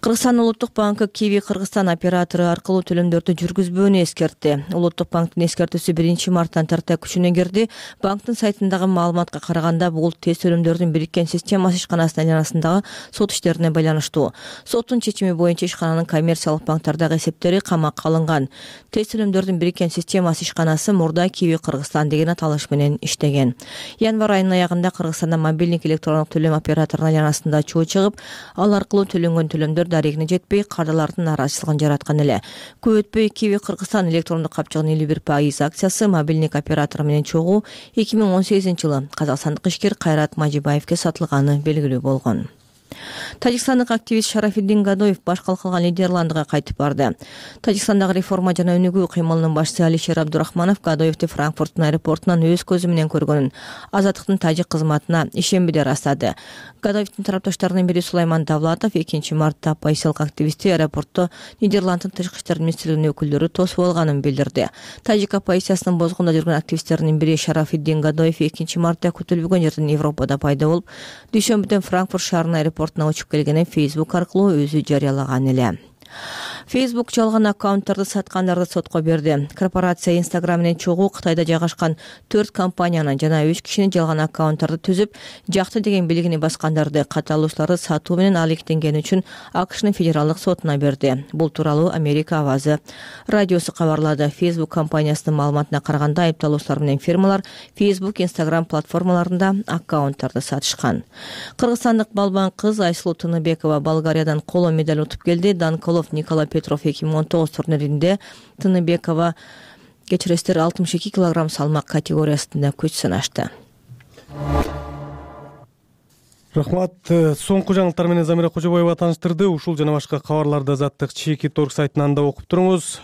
Кыргызстан улуттук банкы Киви Кыргызстан оператору аркылуу төлөмдөрдү жүргүзбөөнү эскертти. Улуттук банктын эскертүүсү биринчи марттан тарта күчүнө кирди. Банктын сайтындагы маалыматка караганда, бул тез төлөмдөрдүн бириккен системасы ишканасынын айланасындагы сот иштерине байланыштуу. Соттун чечими боюнча ишкананын коммерциялык банктардагы эсептери камакка алынган. Тез төлөмдөрдүн бириккен системасы ишканасы мурда Киви Кыргызстан деген аталыш менен иштеген. Январь айынын аягында Кыргызстанда мобилдик электрондук төлөм операторунун айланасында чоо чыгып, ал аркылуу төлөнгөн төлөмдөр дарегине жетпей, кардалардын нааразычылыгын жараткан эле. Көп өтпөй Киви Кыргызстан электрондук капчыгынын элүү бир пайыз акциясы мобилдик оператору менен чогуу эки миң он сегизинчи жылы казакстандык ишкер Кайрат Мажибаевке сатылганы белгилүү болгон. Тажикстандык активист Шарафиддин Гадоев баш калкалган Нидерландыга кайтып барды. Тажикстандагы реформа жана өнүгүү кыймылынын башчысы Алишер Абдурахманов Гадоевди Франкфурттун аэропортунан өз көзү менен көргөнүн Азаттыктын тажик кызматына ишенбиде ырастады. Гадоевдин тарапташтарынын бири Сулайман Давлатов экинчи мартта оппозициялык активистти аэропортто Нидерланддын тышкы иштер министрлигинин өкүлдөрү тосуп алганын билдирди. Тажик оппозициясынын бозгунда жүргөн активисттердин бири Шарафиддин Гадоев экинчи мартта күтүлбөгөн жерден Европада пайда болуп, дүйшөмбүдөн Франкфурт шаарынын аэропортуна учуп келгенин Facebook аркылуу өзү жарыялаган эле. Facebook жалган аккаунттарды саткандарды сотко берди. Корпорация Instagram менен чогуу Кытайда жайгашкан төрт компанияны жана үч кишини жалган аккаунттарды түзүп, жакты деген билигини баскандарды катталуучуларды сатуу менен алектенгени үчүн АКШнын федералдык сотуна берди. Бул тууралуу Америка Авазы радиосу кабарлады. Facebook компаниясынын маалыматына караганда, айыпталуучулар менен фирмалар Facebook, Instagram платформаларында аккаунттарды сатышкан. Кыргызстандык балбан кыз Айсулуу Тыныбекова Болгариядан коло медаль утуп келди. Данколов Николай Петров эки миң он тогуз турниринде Тыныбекова кечиресиздер алтымыш эки килограмм салмак категориясында күч сынашты. Рахмат. Соңку жаңылыктар менен Замира Кожобаева тааныштырды. Ушул жана башка кабарларды Азаттык Чеки торг сайтынан да окуп туруңуз.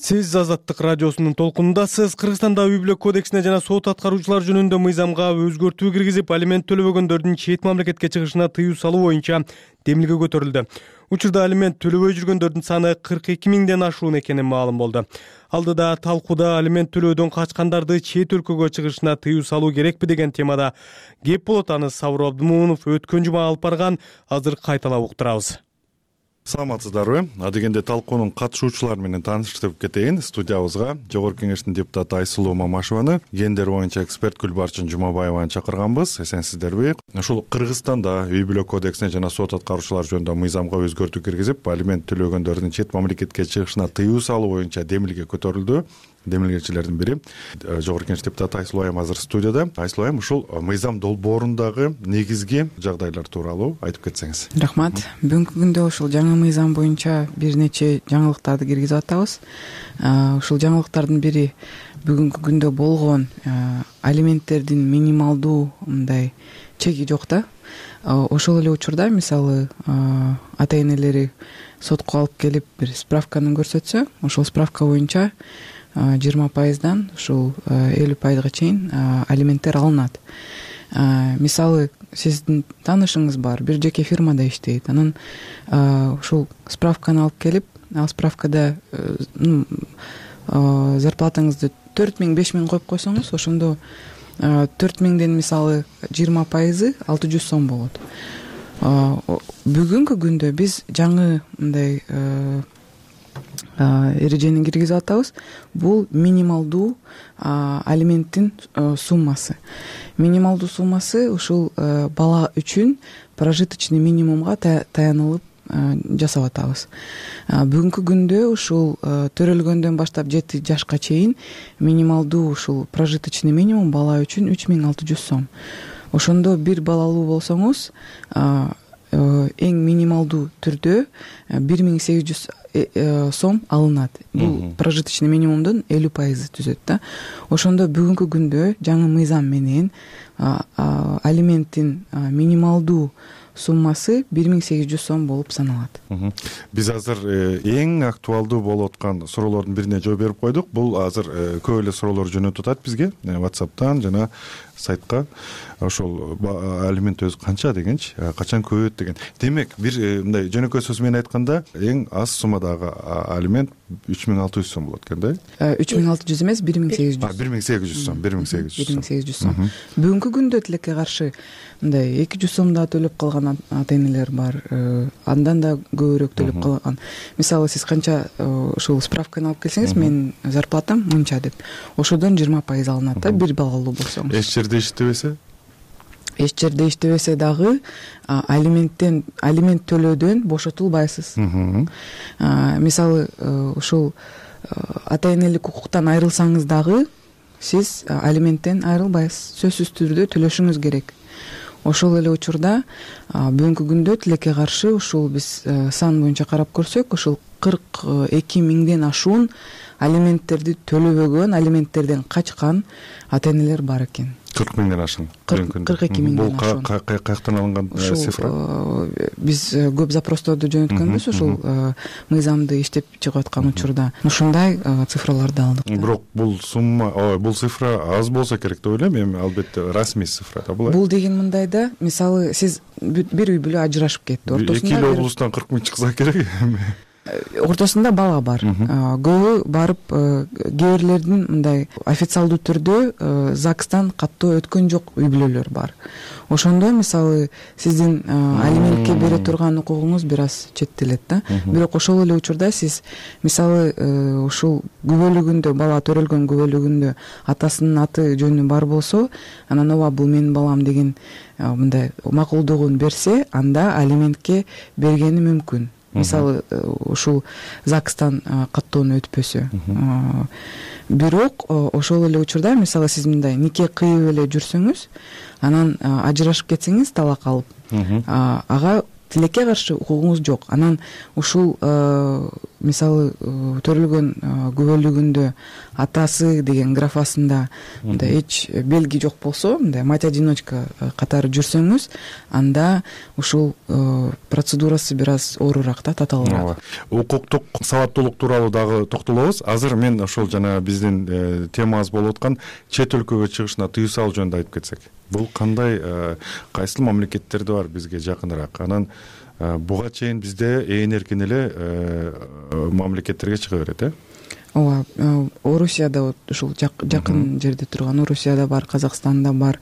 Сиз Азаттык радиосунун толкунундасыз. Кыргызстанда үй бүлө кодексине жана сот аткаруучулар жөнүндө мыйзамга өзгөртүү киргизип, алимент төлөбөгөндөрдүн чет мамлекетке чыгышына тыюу салуу боюнча демилге көтөрүлдү. Учурда алимент төлөбөй жүргөндөрдүн саны кырк эки миңден ашуун экени маалым болду. Алдыда талкууда алимент төлөөдөн качкандарды чет өлкөгө чыгышына тыюу салуу керекпи деген темада кеп болот. Аны Сабыр Абдымоунов өткөн жума алып барган. Азыр кайталап уктурабыз. Саламатсыздарбы? Адегенде талкуунун катышуучулары менен тааныштырып кетейин. Студиябызга Жогорку Кеңештин депутаты Айсулуу Мамашеваны, гендер боюнча эксперт Гүлбарчын Жумабаеваны чакырганбыз. Эсенсиздерби? Ушул Кыргызстанда үй бүлө кодексине жана сот аткаруучулар жөнүндө мыйзамга өзгөртүү киргизип, алимент төлөгөндөрдүн чет мамлекетке чыгышына тыюу салуу боюнча демилге көтөрүлдү. Демилгечилердин бири Жогорку Кеңеш депутаты Айсулуу Айым азыр студияда. Айсулуу Айым, ушул мыйзам долбоорундагы негизги жагдайлар тууралуу айтып кетсеңиз. Рахмат. Бүгүнкү күндө ушул жаңы мыйзам боюнча бир нече жаңылыктарды киргизип атабыз. Ушул жаңылыктардын бири бүгүнкү күндө болгон алименттердин минималдуу мындай чеги жок да. Ошол эле учурда мисалы ата энелери сотко алып келип бир справканы көрсөтсө, ошол справка боюнча жыйырма пайыздан ушул элүү пайызга чейин алименттер алынат. Мисалы сиздин таанышыңыз бар, бир жеке фирмада иштейт. Анан ушул справканы алып келип, ал справкада зарплатаңызды төрт миң беш миң коюп койсоңуз, ошондо төрт миңден мисалы жыйырма пайызы алты жүз сом болот. Бүгүнкү күндө биз жаңы мындай эрежени киргизип атабыз. Бул минималдуу алименттин суммасы. Минималдуу суммасы ушул бала үчүн прожиточный минимумга таянылып жасап атабыз. Бүгүнкү күндө ушул төрөлгөндөн баштап жети жашка чейин минималдуу ушул прожиточный минимум бала үчүн үч миң алты жүз сом. Ошондо бир балалуу болсоңуз эң минималдуу түрдө бир миң сегиз жүз сом алынат. Бул прожиточный минимумдун элүү пайызы түзөт да. Ошондо бүгүнкү күндө жаңы мыйзам менен алименттин минималдуу суммасы бир миң сегиз жүз сом болуп саналат. Биз азыр эң актуалдуу болуп аткан суроолордун бирине жооп берип койдук. Бул азыр көп эле суроолор жөнөтүп атат бизге WhatsApp'тан жана сайтка. Ошол алимент өзү канча дегенчи, качан көбөйөт деген. Демек, бир мындай жөнөкөй сөз менен айтканда, эң аз суммадагы алимент үч миң алты жүз сом болот экен да? үч миң алты жүз эмес, бир миң сегиз жүз. бир миң сегиз жүз сом, бир миң сегиз жүз. бир миң сегиз жүз сом. Бүгүнкү күндө тилекке каршы мындай эки жүз сом да төлөп калган ата энелер бар. Андан да көбүрөөк төлөп калган. Мисалы сиз канча ушул справканы алып келсеңиз, менин зарплатам мынча деп. Ошодон жыйырма пайыз алынат да, бир балалуу болсоңуз. Эч жерде иштебесе? Эч жерде иштебесе дагы алименттен алимент төлөөдөн бошотулбайсыз. Мисалы ушул ата энелик укуктан айрылсаңыз дагы сиз алименттен айрылбайсыз. Сөзсүз түрдө төлөшүңүз керек. Ошол эле учурда бүгүнкү күндө тилекке каршы ушул биз сан боюнча карап көрсөк, ушул кырк эки миңден ашуун алименттерди төлөбөгөн, алименттерден качкан ата энелер бар экен. кырк миңден ашкан. кырк эки миңден ашкан. Бул каяктан алынган цифра? Биз көп запросторду жөнөткөнбүз ушул мыйзамды иштеп чыгып аткан учурда. Ушундай цифраларды алдык. Бирок бул сумма, ой, бул цифра аз болсо керек деп ойлойм. Эми албетте расмий цифра да бул. Бул деген мындайда, мисалы сиз бир үй бүлө ажырашып кетти. Ортосунда эки эле облустан кырк миң чыкса керек. Ортосунда бала бар. Көбү барып кээ бирлердин мындай официалдуу түрдө ЗАГСтан каттоо өткөн жок үй бүлөлөр бар. Ошондо мисалы сиздин алиментке бере турган укугуңуз бир аз четтелет да. Бирок ошол эле учурда сиз мисалы ушул күбөлүгүндө, бала төрөлгөн күбөлүгүндө атасынын аты жөнү бар болсо, анан ооба бул менин балам деген мындай макулдугун берсе, анда алиментке бергени мүмкүн. Мисалы ушул ЗАГСтан каттоону өтпөсө. Бирок ошол эле учурда мисалы сиз мындай нике кыйып эле жүрсөңүз, анан ажырашып кетсеңиз, талак алып, ага тилекке каршы укугуңуз жок. Анан ушул мисалы төрөлгөн күбөлүгүндө атасы деген графасында мындай эч белги жок болсо, мындай мать одиночка катары жүрсөңүз, анда ушул процедурасы бир аз оорураак да, татаалуураак. Укуктук сабаттуулук тууралуу дагы токтолобуз. Азыр мен ошол жана биздин темабыз болуп аткан чет өлкөгө чыгышына тыюу салуу жөнүндө айтып кетсек. Бул кандай, кайсыл мамлекеттерде бар бизге жакыныраак? Анан буга чейин бизде ээн эркин эле мамлекеттерге чыга берет, э? ооба, Орусияда ушул жакын жерде турган Орусияда бар, Казакстанда бар,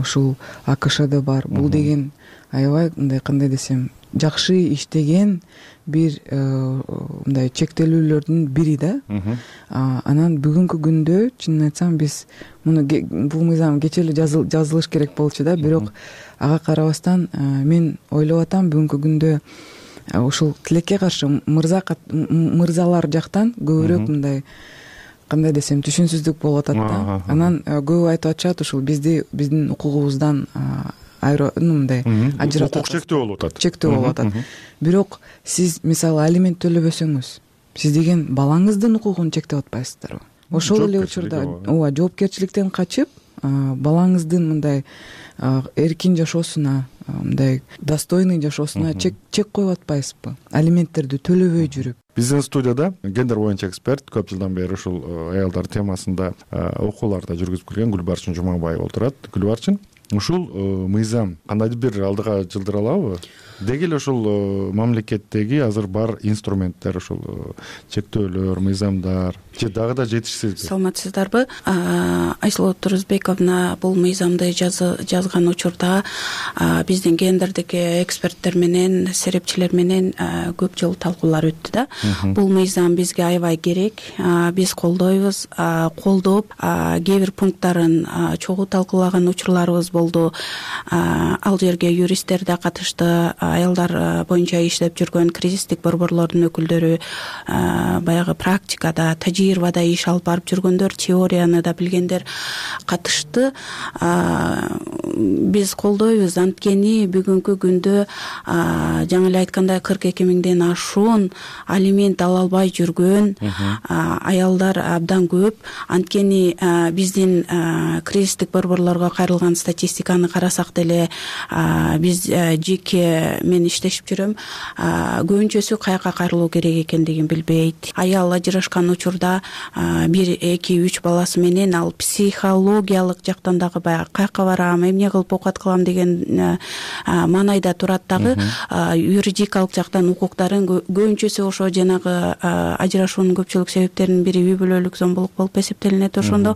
ушул АКШда бар. Бул деген аябай мындай, кандай десем, жакшы иштеген бир мындай чектелүүлөрдүн бири да. Анан бүгүнкү күндө чынын айтсам биз муну бул мыйзам кече эле жазылыш керек болчу да, бирок ага карабастан мен ойлоп атам бүгүнкү күндө ушул тилекке каршы мырза мырзалар жактан көбүрөөк мындай, кандай десем, түшүнсүздүк болуп атат да. Анан көбү айтып атышат ушул бизди биздин укугубуздан мындай ажыратып, укук чектөө болуп атат. Чектөө болуп атат. Бирок сиз мисалы алимент төлөбөсөңүз, сиз деген балаңыздын укугун чектеп атпайсыздарбы? Ошол эле учурда ооба, жоопкерчиликтен качып, балаңыздын мындай эркин жашоосуна, мындай достойный жашоосуна чек чек коюп атпайсызбы? Алименттерди төлөбөй жүрүп. Биздин студияда гендер боюнча эксперт, көп жылдан бери ушул аялдар темасында окууларда жүргүзүп келген Гүлбарчын Жумабаева отурат. Гүлбарчын, ушул мыйзам кандайдыр бир алдыга жылдыра алабы? Деги эле ушул мамлекеттеги азыр бар инструменттер, ушул чектөөлөр, мыйзамдар же дагы да жетишсизби? Саламатсыздарбы? Айсулуу Турузбековна бул мыйзамды жазган учурда биздин гендердик эксперттер менен, серепчилер менен көп жыл талкуулар өттү да. Бул мыйзам бизге аябай керек. Биз колдойбуз, колдоп, кээ бир пункттарын чогуу талкуулаган учурларыбыз болду. Ал жерге юристтер да катышты. Аялдар боюнча иштеп жүргөн кризистик борборлордун өкүлдөрү, баягы практикада, тажрыйбада иш алып барып жүргөндөр, теорияны да билгендер катышты. Биз колдойбуз, анткени бүгүнкү күндө жаңы эле айткандай кырк эки миңден ашуун алимент ала албай жүргөн аялдар абдан көп. Анткени биздин кризистик борборлорго кайрылган статистиканы карасак деле, биз жеке мен иштешип жүрөм, көбүнчөсү каяка кайрылуу керек экендигин билбейт. Аял ажырашкан учурда бир, эки, үч баласы менен ал психологиялык жактан дагы баягы каяка барам, эмне кылып оокат кылам деген маанайда турат дагы. Юридикалык жактан укуктарын көбүнчөсү ошо жанагы ажырашуунун көпчүлүк себептеринин бири үй бүлөлүк зомбулук болуп эсептелинет. Ошондо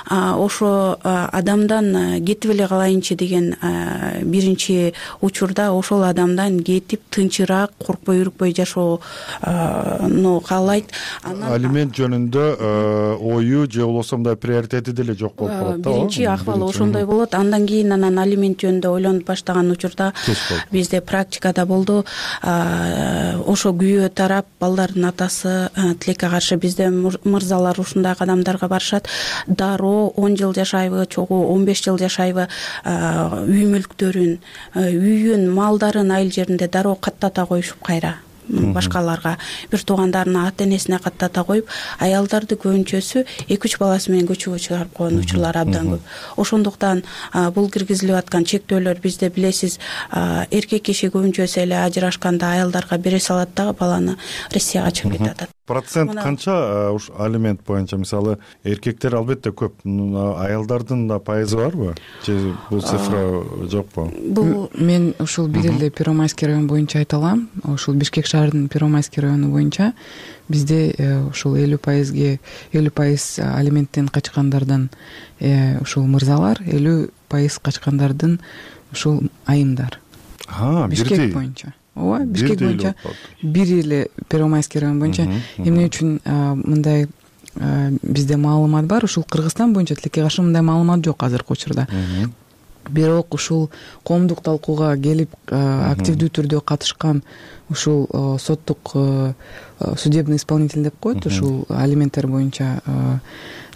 ошо адамдан кетип эле калайынчы деген биринчи учурда ошол адамдан кетип тынчыраак, коркпой үрүкпөй жашоону каалайт. Алимент жөнүндө ою же болбосо мындай приоритети деле жок болуп калат да. Биринчи акыбалы ошондой болот. Андан кийин анан алимент жөнүндө ойлонуп баштаган учурда бизде практикада болду. Ошо күйөө тарап, балдардын атасы тилекке каршы бизде мырзалар ушундай кадамдарга барышат. Дароо он жыл жашайбы, чогуу он беш жыл жашайбы, үй мүлктөрүн, үйүн, малдарын айыл жеринде дароо каттата коюшуп кайра башкаларга, бир туугандарына, ата энесине каттата коюп, аялдарды көбүнчөсү эки үч баласы менен көчөгө чыгарып койгон учурлар абдан көп. Ошондуктан бул киргизилип аткан чектөөлөр бизде билесиз, эркек киши көбүнчөсү эле ажырашканда аялдарга бере салат дагы баланы, Россияга чыгып кетип атат. Процент канча уш алимент боюнча? Мисалы эркектер албетте көп, аялдардын да пайызы барбы? Же бул цифра жокпу? Бул мен ушул бир эле Первомайский район боюнча айта алам. Ушул Бишкек шаарынын Первомайский району боюнча бизде ушул элүү пайызге элүү пайыз алименттен качкандардан ушул мырзалар, элүү пайыз качкандардын ушул айымдар. Бишкек боюнча. Ооба, Бишкек боюнча бир эле Первомайский район боюнча. Эмне үчүн мындай бизде маалымат бар? Ушул Кыргызстан боюнча тилекке каршы мындай маалымат жок азыркы учурда. Бирок ушул коомдук талкууга келип активдүү түрдө катышкан ушул соттук судебный исполнитель деп коет, ушул алименттер боюнча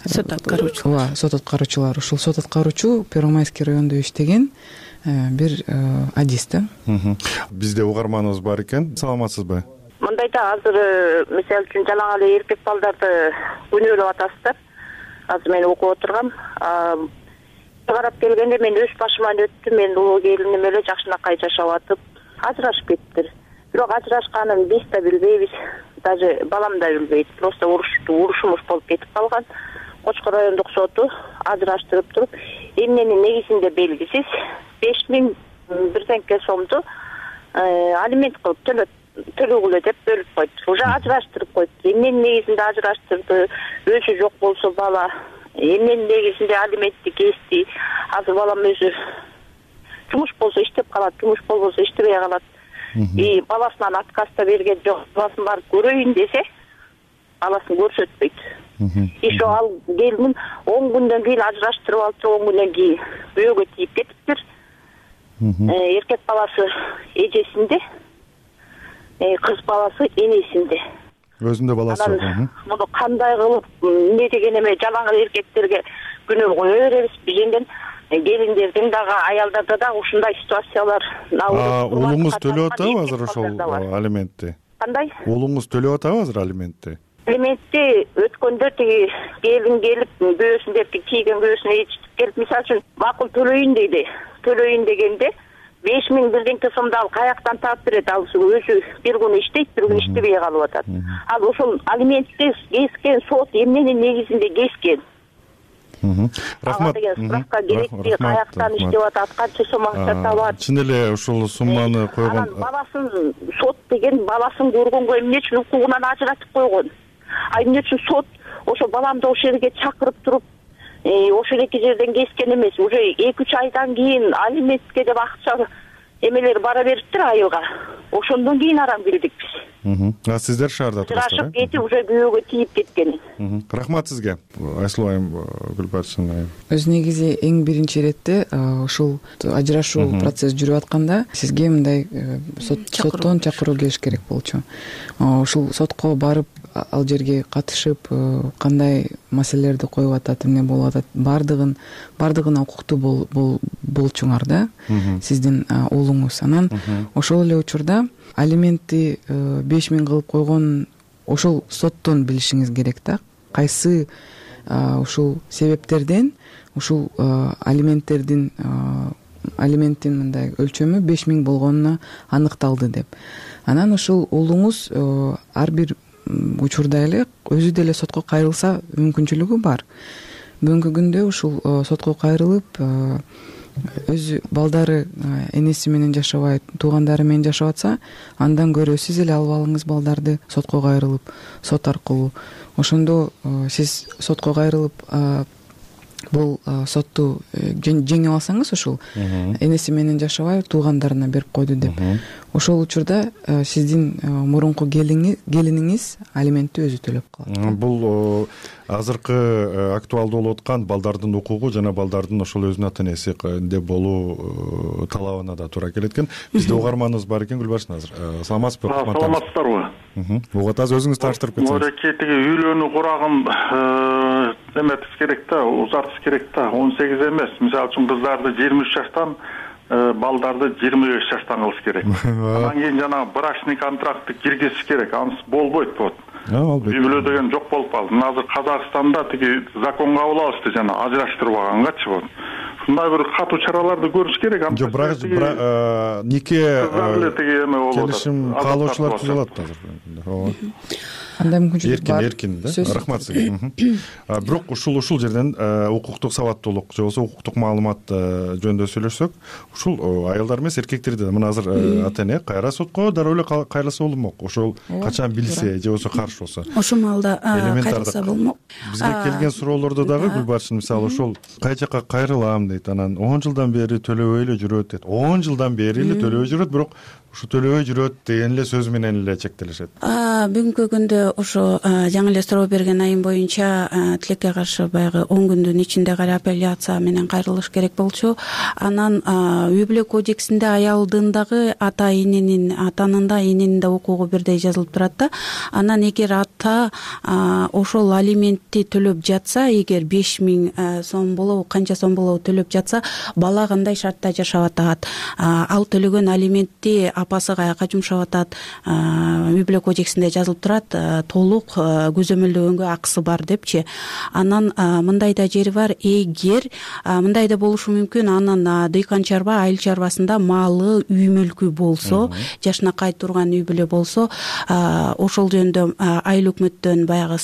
сот аткаруучу. Ооба, сот аткаруучулар. Ушул сот аткаруучу Первомайский райондо иштеген. бир адис да. Бизде угарманыбыз бар экен. Саламатсызбы? Мындай да азыр мисалы үчүн жалаң эле эркек балдарды күнөөлөп атасыздар. Азыр мен окуп отургам. Карап келгенде мен өз башыман өттү. Мен улуу келиним эле жакшынакай жашап атып, ажырашып кеттир. Бирок ажырашканын биз да билбейбиз. Даже балам да билбейт. Просто урушту, урушумуш болуп кетип калган. Кочкор райондук соту ажыраштырып туруп, эмненин негизинде белгисиз беш миң бирденке сомду алимент кылып төлөт төлөгүлө деп бөлүп койду. Уже ажыраштырып койду. Эмненин негизинде ажыраштырды? Өзү жок болсо бала эмненин негизинде алиментти кести? Азыр балам өзү жумуш болсо иштеп калат, жумуш болбосо иштебей калат. И баласынан отказ да берген жок. Баласын барып көрөйүн десе, баласын көрсөтпөйт. Ишо ал келиним он күндөн кийин ажыраштырып алып, он күндөн кийин күйөөгө тийип кетиптир. Эркек баласы эжесинде, кыз баласы энесинде. Өзүндө баласы жок. Муну кандай кылып эмне деген эме жалаң эркектерге күнөө кое беребиз? Бизенден келиндердин дагы, аялдарда дагы ушундай ситуациялар. Уулуңуз төлөп атабы азыр ошол алиментти? Кандай? Уулуңуз төлөп атабы азыр алиментти? Алиментти өткөндө тиги келин келип көөсүн деп тийген көөсүнө ээрчитип келип, мисалы үчүн макул төлөйүн дейди. Төлөйүн дегенде беш миң бирденке сомду ал каяктан таап берет? Ал өзү бир күн иштейт, бир күн иштебей калып атат. Ал ошол алиментти кескен сот эмненин негизинде кескен? Рахмат. Суракка керекти, каяктан иштеп атат, канча сом акча табат? Чын эле ушул сумманы койгон. Баласын сот деген баласын көргөнгө эмне үчүн укугунан ажыратып койгон? А эмне үчүн сот ошо баламды ошол жерге чакырып туруп, ошол эки жерден кескен эмес? Уже эки үч айдан кийин алиментке деп акча эмелер бара бериптир айылга. Ошондон кийин арам билдик биз. А сиздер шаарда турасыздар? Ажырашып кетип, уже күйөөгө тийип кеткен. Рахмат сизге. Айсулуу айым, Гүлбарчын айым. Өз негизи эң биринчи иретте ушул ажырашуу процесс жүрүп атканда сизге мындай соттон чакыруу келиш керек болчу. Ушул сотко барып, ал жерге катышып, кандай маселелерди коюп атат, эмне болуп атат, бардыгын бардыгына укуктуу болчуңар да, сиздин уулуңуз. Анан ошол эле учурда алиментти беш миң кылып койгон ошол соттон билишиңиз керек да. Кайсы ушул себептерден ушул алименттердин алименттин мындай өлчөмү беш миң болгонуна аныкталды деп. Анан ушул уулуңуз ар бир учурда эле өзү деле сотко кайрылса мүмкүнчүлүгү бар. Бүгүнкү күндө ушул сотко кайрылып, өзү балдары энеси менен жашабайт, туугандары менен жашап атса, андан көрө сиз эле алып алыңыз балдарды сотко кайрылып, сот аркылуу. Ошондо сиз сотко кайрылып, бул сотту жеңип алсаңыз, ушул энеси менен жашабай туугандарына берип койду деп, ошол учурда сиздин мурунку келиниңиз алиментти өзү төлөп калат. Бул азыркы актуалдуу болуп аткан балдардын укугу жана балдардын ошол өзүнүн ата энесинде болуу талабына да туура келет экен. Бизде угарманыбыз бар экен, Гүлбарчын азыр. Саламатсызбы? Саламатсыздарбы? Угат азыр өзүңүз тааныштырып кетсеңиз. Мореке тиги үйлөнүү курагын эметиш керек да, узартыш керек да. он сегиз эмес. Мисалы үчүн кыздарды жыйырма үч жаштан, балдарды жыйырма беш жаштан кылыш керек. Андан кийин жанагы брачный контрактты киргизиш керек. Анысы болбойт вот. Үй бүлө деген жок болуп калды. Мына азыр Казакстанда тиги закон кабыл алышты жана ажыраштырбагангачы вот. Ушундай бир катуу чараларды көрүш керек. Жок, брак нике келишим каалоочулар түзүп алат азыр. Андай мүмкүнчүлүк бар. Эркин, эркин да. Рахмат сизге. Бирок ушул ушул жерден укуктук сабаттуулук же болбосо укуктук маалымат жөнүндө сүйлөшсөк, ушул аялдар эмес, эркектерди мына азыр ата эне кайра сотко дароо эле кайрылса болмок. Ошол качан билсе же болбосо каршы болсо. Ошол маалда кайрылса болмок. Бизге келген суроолордо дагы Гүлбарчын мисалы ошол кай жака кайрылам дейт, анан он жылдан бери төлөбөй эле жүрөт дейт. он жылдан бери эле төлөбөй жүрөт, бирок ушу төлөбөй жүрөт деген эле сөз менен эле чектелишет. Бүгүнкү күндө ошо жаңы эле суроо берген айым боюнча тилекке каршы баягы он күндүн ичинде кайра апелляция менен кайрылыш керек болчу. Анан үй бүлө кодексинде аялдын дагы ата эненин атанын да эненин да укугу бирдей жазылып турат да. Анан эгер ата ошол алиментти төлөп жатса, эгер беш миң сом болобу канча сом болобу төлөп жатса, бала кандай шартта жашап атат, ал төлөгөн алиментти апасы каяка жумшап атат, үй бүлө кодексинде жазылып турат, толук көзөмөлдөгөнгө акысы бар депчи. Анан мындай да жери бар, эгер мындай да болушу мүмкүн, анын дыйкан чарба, айыл чарбасында малы, үй мүлкү болсо, жашынакай турган үй бүлө болсо, ошол жөнүндө айыл өкмөттөн баягы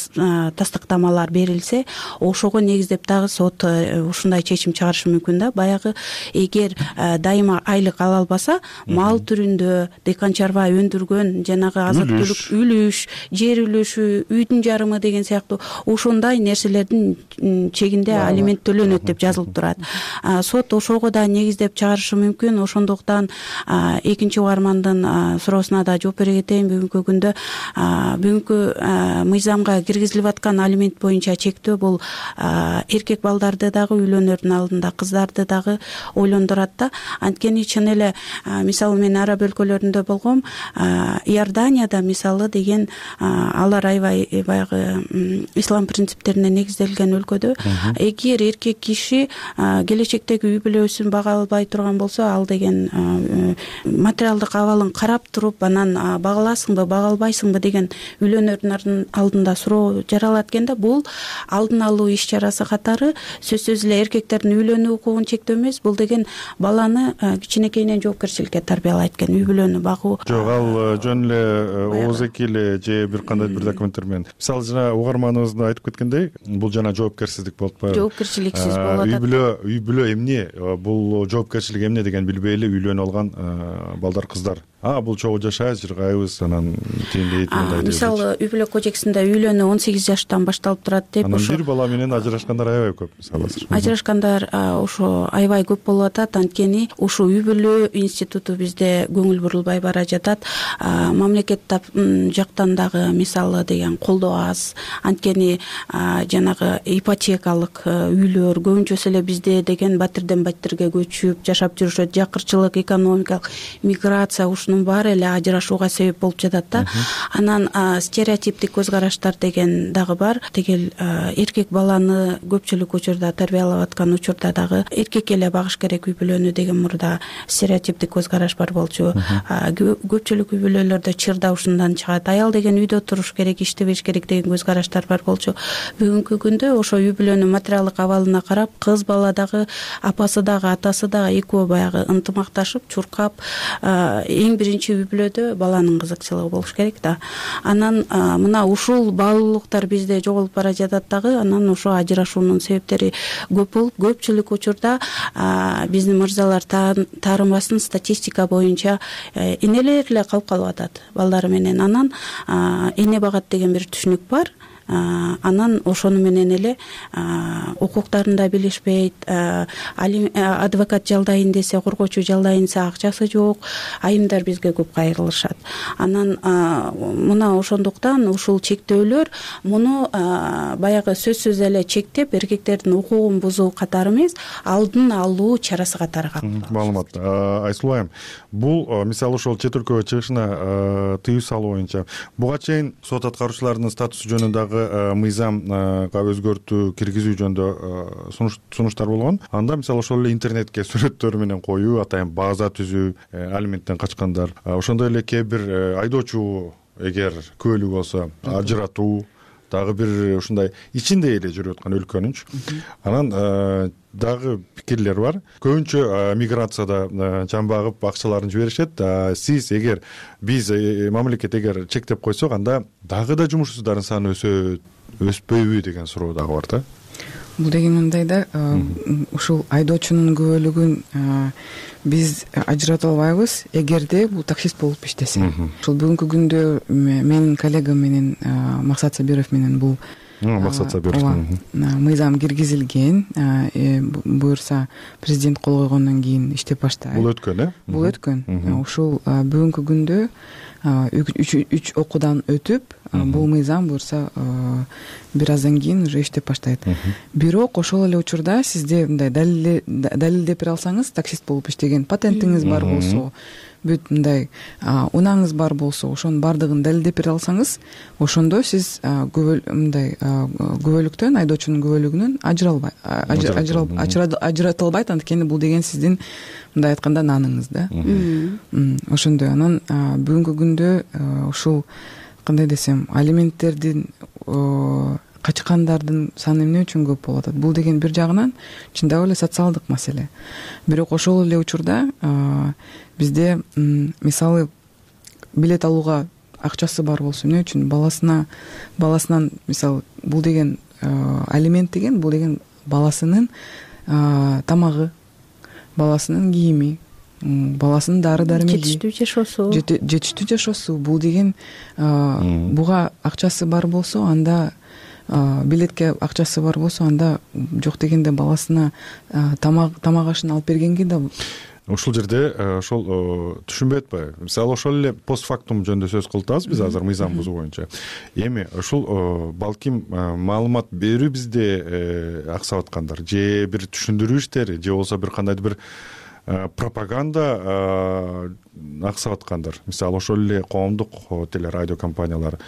тастыктамалар берилсе, ошого негиздеп дагы сот ушундай чечим чыгарышы мүмкүн да. Баягы эгер дайыма айлык ала албаса, мал түрүндө дыйкан чарба өндүргөн жанагы азык түлүк үлүш, жер үлүшү, үйдүн жарымы деген сыяктуу ошондой нерселердин чегинде алимент төлөнөт деп жазылып турат. Сот ошого да негиздеп чыгарышы мүмкүн. Ошондуктан экинчи угармандын суроосуна да жооп бере кетейин. Бүгүнкү күндө бүгүнкү мыйзамга киргизилип аткан алимент боюнча чектөө бул эркек балдарды дагы үйлөнөрдүн алдында кыздарды дагы ойлондурат да. Анткени чын эле мисалы мен араб өлкөлөрүндө болгом, Иорданияда мисалы деген алар аябай баягы ислам принциптерине негизделген өлкөдө, эгер эркек киши келечектеги үй бүлөсүн бага албай турган болсо, ал деген материалдык абалын карап туруп, анан багаласыңбы, бага албайсыңбы деген үйлөнөрдүн алдында суроо жаралат экен да. Бул алдын алуу иш чарасы катары сөзсүз эле эркектердин үйлөнүү укугун чектөө эмес, бул деген баланы кичинекейинен жоопкерчиликке тарбиялайт экен, үй бүлөнү багуу. Жок, ал жөн эле ооз-эки эле же бир кандай бир документтер менен. Мисалы жана угарманыбыз да айтып кеткендей, бул жана жоопкерсиздик болуп атпайбы? Жоопкерчиликсиз болуп атат. Үй бүлө, үй бүлө эмне, бул жоопкерчилик эмне деген билбей эле үйлөнүп алган балдар, кыздар. А, бул чогуу жашайбыз, жыргайбыз, анан тиндейт, мындай дейт. Мисалы, үй бүлө кодексинде үйлөнүү он сегиз жаштан башталып турат деп. Анан бир бала менен ажырашкандар аябай көп, мисалы. Ажырашкандар ошо аябай көп болуп атат, анткени ушул үй бүлө институту бизде көңүл бурулбай бара жатат. Мамлекет жактан дагы мисалы деген колдоо аз. Анткени жанагы ипотекалык үйлөр көбүнчөсү эле бизде деген батирден батирге көчүп жашап жүрүшөт. Жакырчылык, экономикалык миграция ушунун баары эле ажырашууга себеп болуп жатат да. Анан стереотиптик көз караштар деген дагы бар. Тегил эркек баланы көпчүлүк учурда тарбиялап аткан учурда дагы эркек эле багыш керек үй бүлөнү деген мурда стереотиптик көз караш бар болчу. Көпчүлүк үй бүлөлөрдө чырда ушундан чыгат. Аял деген үйдө туруш керек, иштебеш керек деген көз караштар бар болчу. Бүгүнкү күндө ошо үй бүлөнүн материалдык абалына карап, кыз бала дагы, апасы дагы, атасы дагы экөө баягы ынтымакташып, чуркап, эң биринчи үй бүлөдө баланын кызыкчылыгы болуш керек да. Анан мына ушул баалуулуктар бизде жоголуп бара жатат дагы. Анан ошо ажырашуунун себептери көп болуп, көпчүлүк учурда биздин мырзалар таарынбасын статистика боюнча энелер эле калып калып атат балдары менен. Анан эне багат деген бир түшүнүк бар. Анан ошону менен эле укуктарын да билишпейт, адвокат жалдайын десе, коргоочу жалдайын десе акчасы жок, айымдар бизге көп кайрылышат. Анан мына ошондуктан ушул чектөөлөр муну баягы сөзсүз эле чектеп, эркектердин укугун бузуу катары эмес, алдын алуу чарасы катары кабылдалат. Маалымат. Айсулуу айым, бул мисалы ошол чет өлкөгө чыгышына тыюу салуу боюнча буга чейин сот аткаруучулардын статусу жөнүндө мыйзамга өзгөртүү киргизүү жөнүндө сунуштар болгон. Анда мисалы ошол эле интернетке сүрөттөр менен коюу, атайын база түзүү, алименттен качкандар, ошондой эле кээ бир айдоочу эгер күбөлүү болсо ажыратуу, дагы бир ушундай ичинде эле жүрүп аткан өлкөнүнчү. Анан дагы пикирлер бар. Көбүнчө миграцияда жан багып акчаларын жиберишет. Сиз эгер биз мамлекет эгер чектеп койсок, анда дагы да жумушсуздардын саны өсөт, өспөйбү деген суроо дагы бар да. Бул деген мындай да, ушул айдоочунун күбөлүгүн биз ажырата албайбыз, эгерде бул таксист болуп иштесе. Ушул бүгүнкү күндө менин коллегам менен Максат Сабиров менен бул максат сабировский мыйзам киргизилген. Буюрса президент кол койгондон кийин иштеп баштайт. Бул өткөн э бул өткөн. Ушул бүгүнкү күндө үч окуудан өтүп бул мыйзам буюрса бир аздан кийин уже иштеп баштайт. Бирок ошол эле учурда сизде мындай далилдеп бере алсаңыз, таксист болуп иштеген, патентиңиз бар болсо, бүт мындай унааңыз бар болсо, ошонун баардыгын далилдеп бере алсаңыз, ошондо сиз мындай күбөлүктөн, айдоочунун күбөлүгүнөн ажыралбайт, ажыратылбайт. Анткени бул деген сиздин мындай айтканда наныңыз да. Ошондой. Анан бүгүнкү күндө ушул кандай десем, алименттердин качкандардын саны эмне үчүн көп болуп атат? Бул деген бир жагынан чындап эле социалдык маселе. Бирок ошол эле учурда бизде мисалы билет алууга акчасы бар болсо, эмне үчүн баласына баласынан мисалы бул деген алимент деген бул деген баласынын тамагы, баласынын кийими, баласынын дары дармеги, жетиштүү жашоосу жетиштүү жашоосу бул деген буга акчасы бар болсо, анда билетке акчасы бар болсо, анда жок дегенде баласына тамак тамак ашын алып бергенге да. Ушул жерде ошол түшүнбөй атпайбы? Мисалы ошол эле постфактум жөнүндө сөз кылып атабыз биз азыр мыйзам бузуу боюнча. Эми ушул балким маалымат берүү бизде аксап аткандар, же бир түшүндүрүү иштери, же болбосо бир кандайдыр бир пропаганда аксап аткандар. Мисалы ошол эле коомдук телерадио компаниялар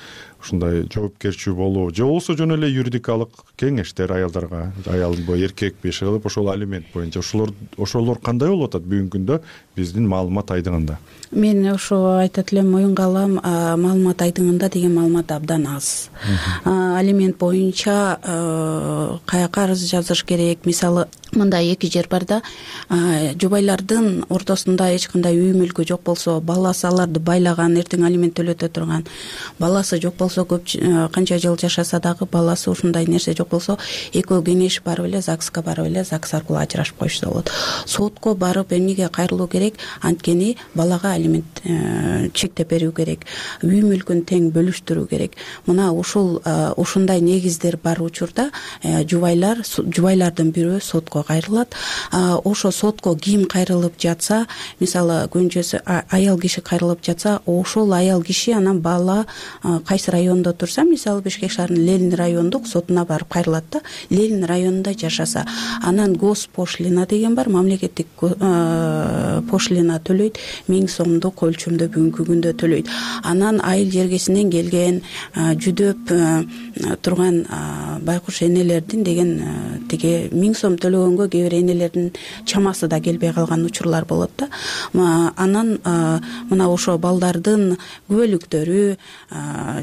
ушундай жоопкерчүү болуу, же болбосо жөн эле юридикалык кеңештер аялдарга, аялбы эркекпи иши кылып ошол алимент боюнча ошолор ошолор кандай болуп атат бүгүнкү күндө биздин маалымат айдыңында? Мен ошо айтат элем, моюнга алам, маалымат айдыңында деген маалымат абдан аз. Алимент боюнча каяка арыз жазыш керек? Мисалы, мындай эки жер бар да, жубайлардын ортосунда эч кандай үй мүлкү жок болсо, баласы аларды байлаган, эртең алимент төлөтө турган, баласы жок болсо, көп канча жыл жашаса дагы баласы ушундай нерсе жок болсо, экөө кеңешип барып эле ЗАГСка барып эле ЗАГС аркылуу ажырашып коюшса болот. Сотко барып эмнеге кайрылуу керек? Анткени балага алимент чектеп берүү керек, үй мүлкүн тең бөлүштүрүү керек. Мына ушул ушундай негиздер бар учурда жубайлар жубайлардын бирөө сотко кайрылат. Ошо сотко ким кайрылып жатса, мисалы күнчөсү аял киши кайрылып жатса, ошол аял киши анан бала кайсы райондо турса, мисалы Бишкек шаарынын Ленин райондук сотуна барып кайрылат да. Ленин районунда жашаса, анан госпошлина деген бар, мамлекеттик пошлина төлөйт, миң сомдук өлчөмдө бүгүнкү күндө төлөйт. Анан айыл жергесинен келген жүдөп турган байкуш энелердин деген тиги миң сом төлөгөнгө кээ бир энелердин чамасы да келбей калган учурлар болот да. Анан мына ошо балдардын күбөлүктөрү,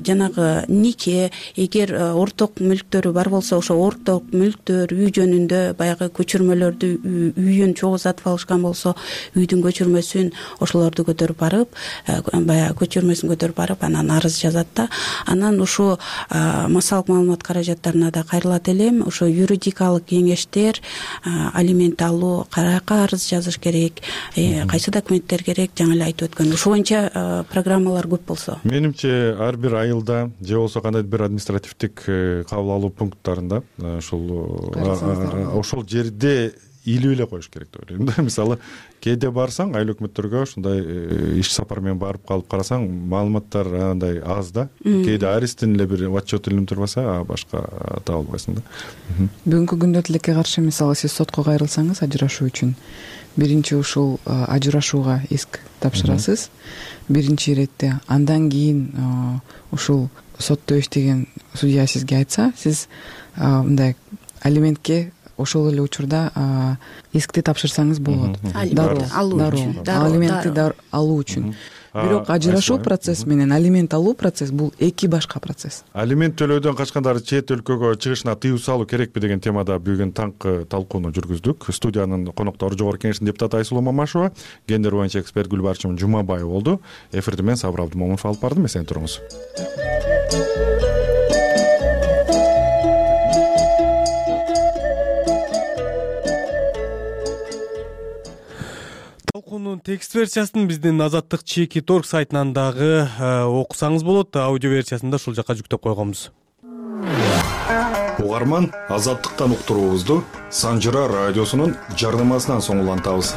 жанагы нике, эгер орток мүлктөрү бар болсо, ошо орток мүлктөр, үй жөнүндө баягы көчүрмөлөрдү, үйүн чогуу сатып алышкан болсо, үйдүн көчүрмөсүн ошолорду көтөрүп барып, баягы көчүрмөсүн көтөрүп барып, анан арыз жазат да. Анан ошо массалык маалымат каражаттарына да кайрылат элем. Ошо юридикалык кеңештер, алимент алуу, каяка арыз жазыш керек, кайсы документтер керек, жаңы эле айтып өткөн. Ошо боюнча программалар көп болсо. Менимче ар бир айылда же болбосо кандайдыр бир административдик кабыл алуу пункттарында ошол ошол жерде илип эле коюш керек деп ойлойм да. Мисалы, кээде барсаң айыл өкмөттөргө ушундай иш сапар менен барып калып карасаң, маалыматтар андай аз да. Кээде арестин эле бир отчет илинип турбаса, башка таба албайсың да. Бүгүнкү күндө тилекке каршы, мисалы, сиз сотко кайрылсаңыз ажырашуу үчүн, биринчи ушул ажырашууга иск тапшырасыз, биринчи иретте. Андан кийин ушул сотто иштеген судья сизге айтса, сиз мындай алиментке ошол эле учурда искти тапшырсаңыз болот. Дароо алиментти алуу үчүн. Бирок ажырашуу процесс менен алимент алуу процесс бул эки башка процесс. Алимент төлөөдөн качкандар чет өлкөгө чыгышына тыюу салуу керекпи деген темада бүгүн таңкы талкууну жүргүздүк. Студиянын коноктору Жогорку Кеңештин депутаты Айсулуу Мамашева, гендер боюнча эксперт Гүлбарчын Жумабаева болду. Эфирди мен Сабыр Абдымомунов алып бардым. Эсен туруңуз. Талкуунун текст версиясын биздин Азаттык чеки точка орг сайтынан дагы окусаңыз болот. Аудио версиясын да ушул жака жүктөп койгонбуз. угарман Азаттыктан уктуруубузду Санжыра радиосунун жардамасынан соң улантабыз.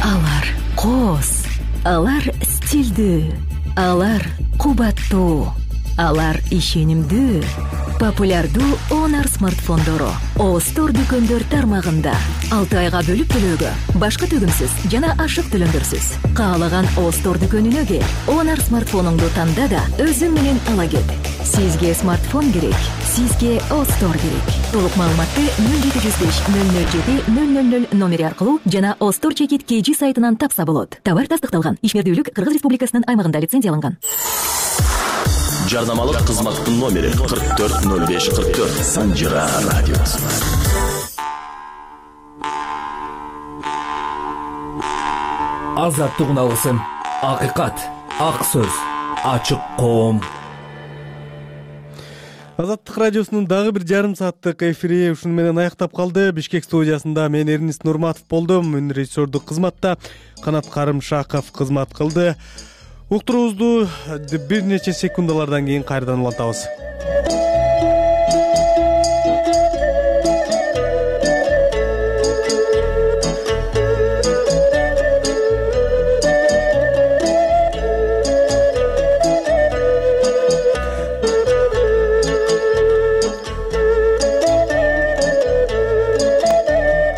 Алар коос, алар стилдүү, алар кубаттуу, алар ишенимдүү. Популярдуу Honor смартфондору О Store дүкөндөр тармагында алты айга бөлүп төлөөгө, башка төгүмсүз жана ашык төлөмдөрсүз. Каалаган О Store дүкөнүнө кел, Honor смартфонуңду танда да өзүң менен ала кет. Сизге смартфон керек, сизге О Store керек. Толук маалыматты нөл жети жүз беш нөл нөл жети нөл нөл нөл номери аркылуу жана О Store чекит кж сайтынан тапса болот. Товар тастыкталган. Ишмердүүлүк Кыргыз Республикасынын аймагында лицензияланган. Жардамалык кызматтын номери кырк төрт нөл беш кырк төрт. Санжыра радиосу. Азаттык алгысым, акыйкат, ак сөз, ачык коом. Азаттык радиосунун дагы бир жарым сааттык эфири ушуну менен аяктап калды. Бишкек студиясында мен Эрнис Нурматов болдум. Мун режиссердук кызматта Канат Карымшаков кызмат кылды. Уктуруубузду бир нече секундалардан кийин кайрадан улантабыз.